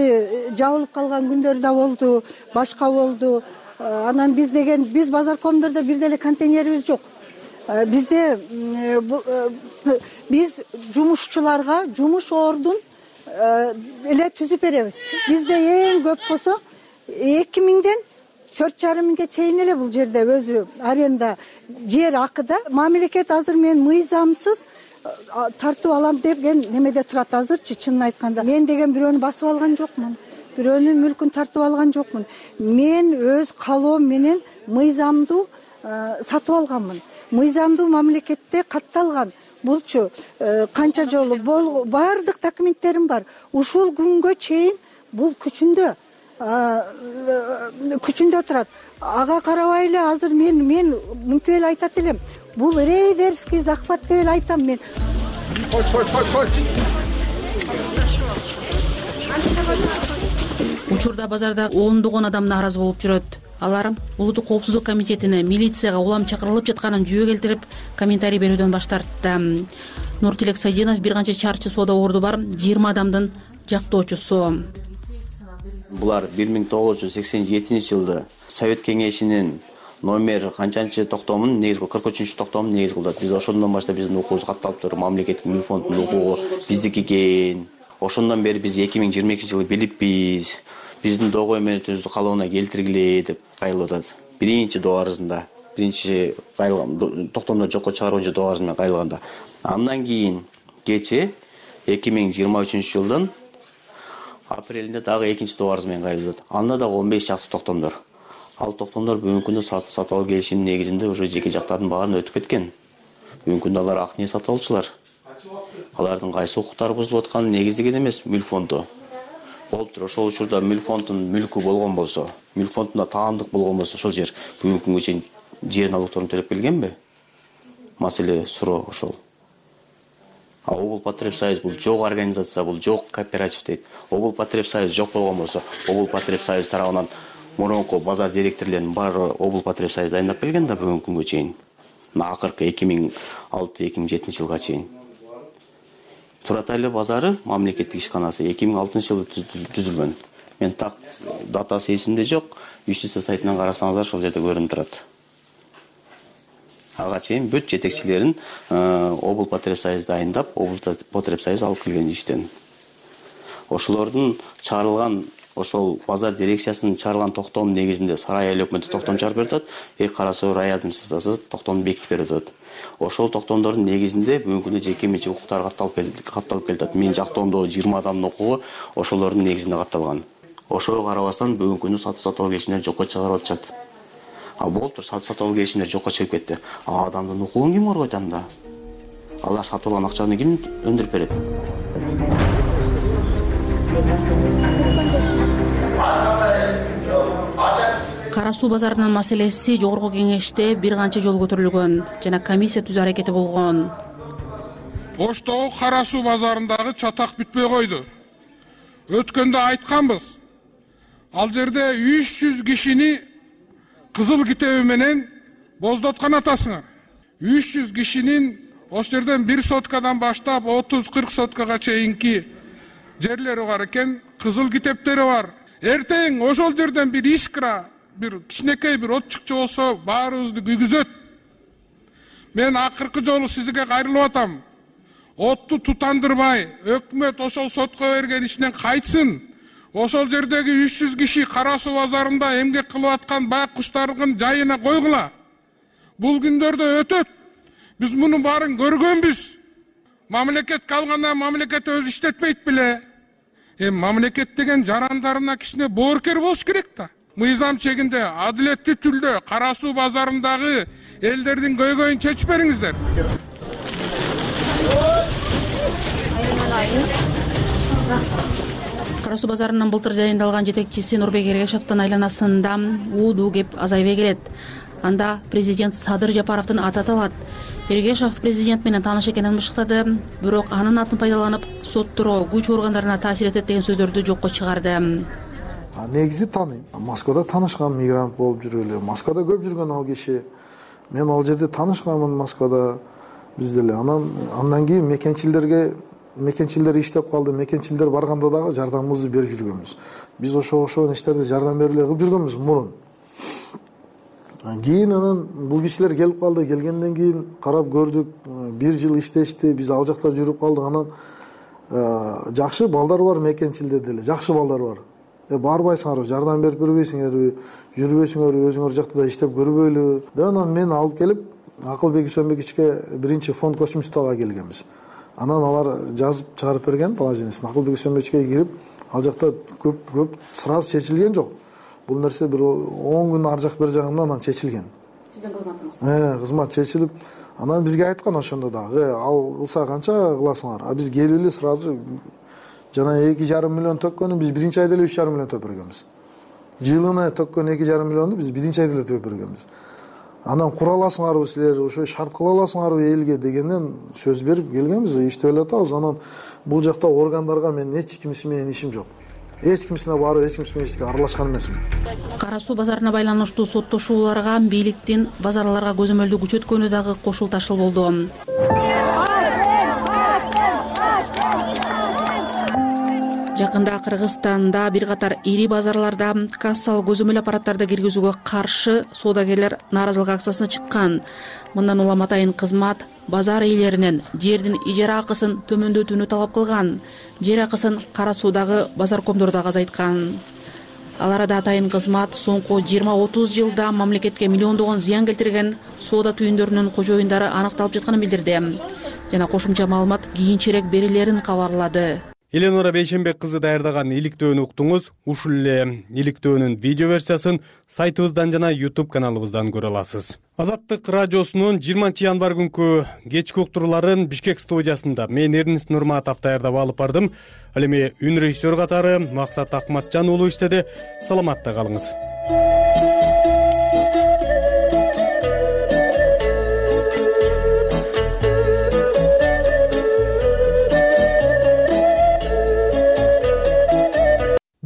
жабылып калган күндөр да болду, башка болду. Анан биз базаркомдордо бир деле контейнерибиз жок. Бизде биз жумушчуларга жумуш ордун эле түзүп беребиз. Бизде эң көп болсо 2000ден 4,5 миңге чейин эле бул жерде өзү аренда жер акыда. Мамлекет азыр мен мыйзамсыз тартып алам деген немеде турат азырчы, чынын айтканда. Мен деген бирөөнү басып алган жокмун. Бирөөнүн мүлкүн тартып алган жокмун. Мен өз калоом менен мыйзамдуу сатып алганмын. Мыйзамдуу мамлекетте катталган. Булчу канча жолу баардык документтерим бар. Ушул күнгө чейин бул күчүндө турат. Ага карабай эле азыр мен мынтип эле айтат элем. Бул рейдерский захват деп эле айтам мен. Учурда базарда ондогон адам нааразы болуп жүрөт. Алар улуттук коопсуздук комитетине, милицияга улам чакырылып жатканын жүйө келтирип, комментарий берүүдөн баш тартты. Нуртилек Сайдинов бир канча чарчы соода орду бар 20 адамдын жактоочусу. Булар 1987 жылда Совет кеңешинин номер канчанчы токтомун негизги 43 токтомун негиз кылды. Биз ошондон баштап биздин укугубуз катталыптыр. Мамлекеттик мүлк фондунун укугу биздики экен. Ошондон бери биз 2022 жылы билипбиз. Биздин доо өкмөтүбүздүн калыбына келтиргиле деп кайрылып атат. Биринчи доо арызында, биринчи токтомдорду жокко чыгаруу боюнча доо арыз менен кайрылганда. Андан кийин кече 2023 жылдын Апрелинде дагы экинчи добарыз менен кайрылды. Анда дагы 15 чакты токтомдор. Ал токтомдор бүгүнкү күндө сатып алуу келишиминин негизинде уже жеке жактардын баарын өтүп кеткен. Бүгүнкү күндө алар ак ниет сатып алуучулар. Алардын кайсы укуктары бузулуп атканы негиздеген эмес, мүлк фонду. Болуптур, ошол учурда мүлк фондунун мүлкү болгон болсо, мүлк фондунда таандык болгон болсо, ошол жер бүгүнкү күнгө чейин жер налогторун төлөп келгенби? Маселе суроо ошол. Обул потреб союз бул жок организация, бул жок кооператив дейт. Обул потреб союз жок болгон болсо, обул потреб союз тарабынан мурунку базар директорлорунун баары обул потреб союз дайындап келген да бүгүнкү күнгө чейин. Акыркы 2006-2007 жылга чейин. Туратайлы базары мамлекеттик ишканасы 2006 жылы түзүлгөн. Мен так датасы эсимде жок. Юстиция сайтынан карасаңыздар ошол жерде көрүнүп турат. Ага чейин бүт жетекчилерин обул потреб союз дайындап, обул потреб союз алып келген иштен. Ошолордун чыгарылган ошол базар дирекциясынын чыгарылган токтом негизинде Сарай айыл өкмөтү токтом чыгарып берип атат, Кара Суу рай администрациясы токтомду бекитип берип атат. Ошол токтомдордун негизинде бүгүнкү күндө жеке менчик укуктар катталып келатат. Менин жактоомдогу 20 адамдын укугу ошолордун негизинде катталган. Ошого карабастан бүгүнкү күндө сатып алуу келишимдери жокко чыгарып атышат. Болуптур, сатып алуу келишимдери жокко чыгып кетти. Адамдын укугун ким коргойт анда? Алар сатып алган акчаны ким өндүрүп берет? Кара Суу базарынын маселеси жогорку кеңеште бир канча жолу көтөрүлгөн жана комиссия түзүү аракети болгон. Оштогу Кара Суу базарындагы чатак бүтпөй койду. Өткөндө айтканбыз. Ал жерде 300 кишини кызыл китеби менен боздоткон атасыңар. 300 кишинин ошол жерден 1 соткадан баштап 30-40 соткага чейинки жерлери бар экен, кызыл китептери бар. Эртең ошол жерден бир искра, бир кичинекей бир от чыкчы болсо баарыбызды күйгүзөт. Мен акыркы жолу сизге кайрылып атам. Отту тутандырбай, өкмөт ошол сотко берген ишинен кайтсын. Ошол жердеги 300 киши Кара Суу базарында эмгек кылып аткан бак куштардын жайына койгула. Бул күндөрдө өтөт. Биз мунун баарын көргөнбүз. Мамлекетке алганда мамлекет өзү иштетпейт беле. Мамлекет деген жарандарына кичине боорукер болуш керек да. Мыйзам чегинде, адилеттүү түрдө Кара Суу базарындагы элдердин көйгөйүн чечип бериңиздер. Кара Суу базарынын былтыр жайындалган жетекчиси Нурбек Эргешевдин айланасында уудуу кеп азайбай келет. Анда президент Садыр Жапаровдун аты аталат. Эргешев президент менен тааныш экенин бышыктады, бирок анын атын пайдаланып соттуроо, күч органдарына таасир этет деген сөздөрдү жокко чыгарды. Негизи тааныйм. Москвада таанышкан мигрант болуп жүргөлө. Москвада көп жүргөн ал киши. Мен ал жерде таанышканмын Москвада. Биз деле андан кийин мекенчилер иштеп калды. Мекенчилер барганда дагы жардамыбызды берип жүргөнбүз. Биз ошол иштерди жардам берип эле кылып жүргөнбүз мурун. Кийин анан бул кишилер келип калды. Келгенден кийин карап көрдүк. 1 жыл иштешти. Биз ал жакта жүрүп калдык. Анан жакшы балдар бар мекенчилерде деле. Жакшы балдар бар. Барбайсыңарбы, жардам берип көрбөйсүңөрбү, жүрбөйсүңөрбү, өзүңөр жакта да иштеп көрбөйлү. Анан мен алып келип Акылбек Үсөнбековичке биринчи фонд космостога келгенбиз. Анан алар жазып чыгарып берген положениесин. Акылбек Үсөнбековичке кирип, ал жакта көп сразу чечилген жок. Бул нерсе бир 10 күн ар жак бер жагында анан чечилген. Сиздин кызматыңыз? Кызмат чечилип, анан бизге айткан ошондо дагы, ал кылса канча кыласыңар? Биз келип эле сразу жана 2,5 миллион төккөнү биз биринчи айда эле 3,5 миллион төкөп бергенбиз. Жылына төккөн 2,5 миллионду биз биринчи айда эле төкөп бергенбиз. Анан кура аласыңарбы силер, ошо шарт кыла аласыңарбы элге дегенден сөз берип келгенбиз, иштеп эле атабыз. Анан бул жакта органдарга мен эч кимиси менен ишим жок. Эч кимисине барып, эч кимиси менен эчтеке аралашкан эмесмин. Кара Суу базарына байланыштуу соттошууларга бийликтин базарларга көзөмөлдү күчөткөнү дагы кошулташыл болду. Жакында Кыргызстанда бир катар ири базарларда кассалык көзөмөл аппараттарды киргизүүгө каршы соодагерлер нааразылык акциясына чыккан. Мындан улам атайын кызмат базар ээлеринен жердин ижара акысын төмөндөтүүнү талап кылган. Жер акысын Кара Суудагы базаркомдор дагы азайткан. Ал арада атайын кызмат соңку 20-30 жылда мамлекетке миллиондогон зыян келтирген соода түйүндөрүнүн кожоюндары аныкталып жатканын билдирди. Жана кошумча маалымат кийинчерээк берилерин кабарлады. Эленора Бейшенбек кызы даярдаган иликтөөнү уктуңуз. Ушул эле иликтөөнүн видео версиясын сайтыбыздан жана YouTube каналыбыздан көрө аласыз. Азаттык радиосунун 20 январь күнкү кечки уктурууларын Бишкек студиясында мен Эрнест Нурматов даярдап алып бардым. Ал эми үн режиссер катары Максат Акматжан уулу иштеди. Саламатта калыңыз.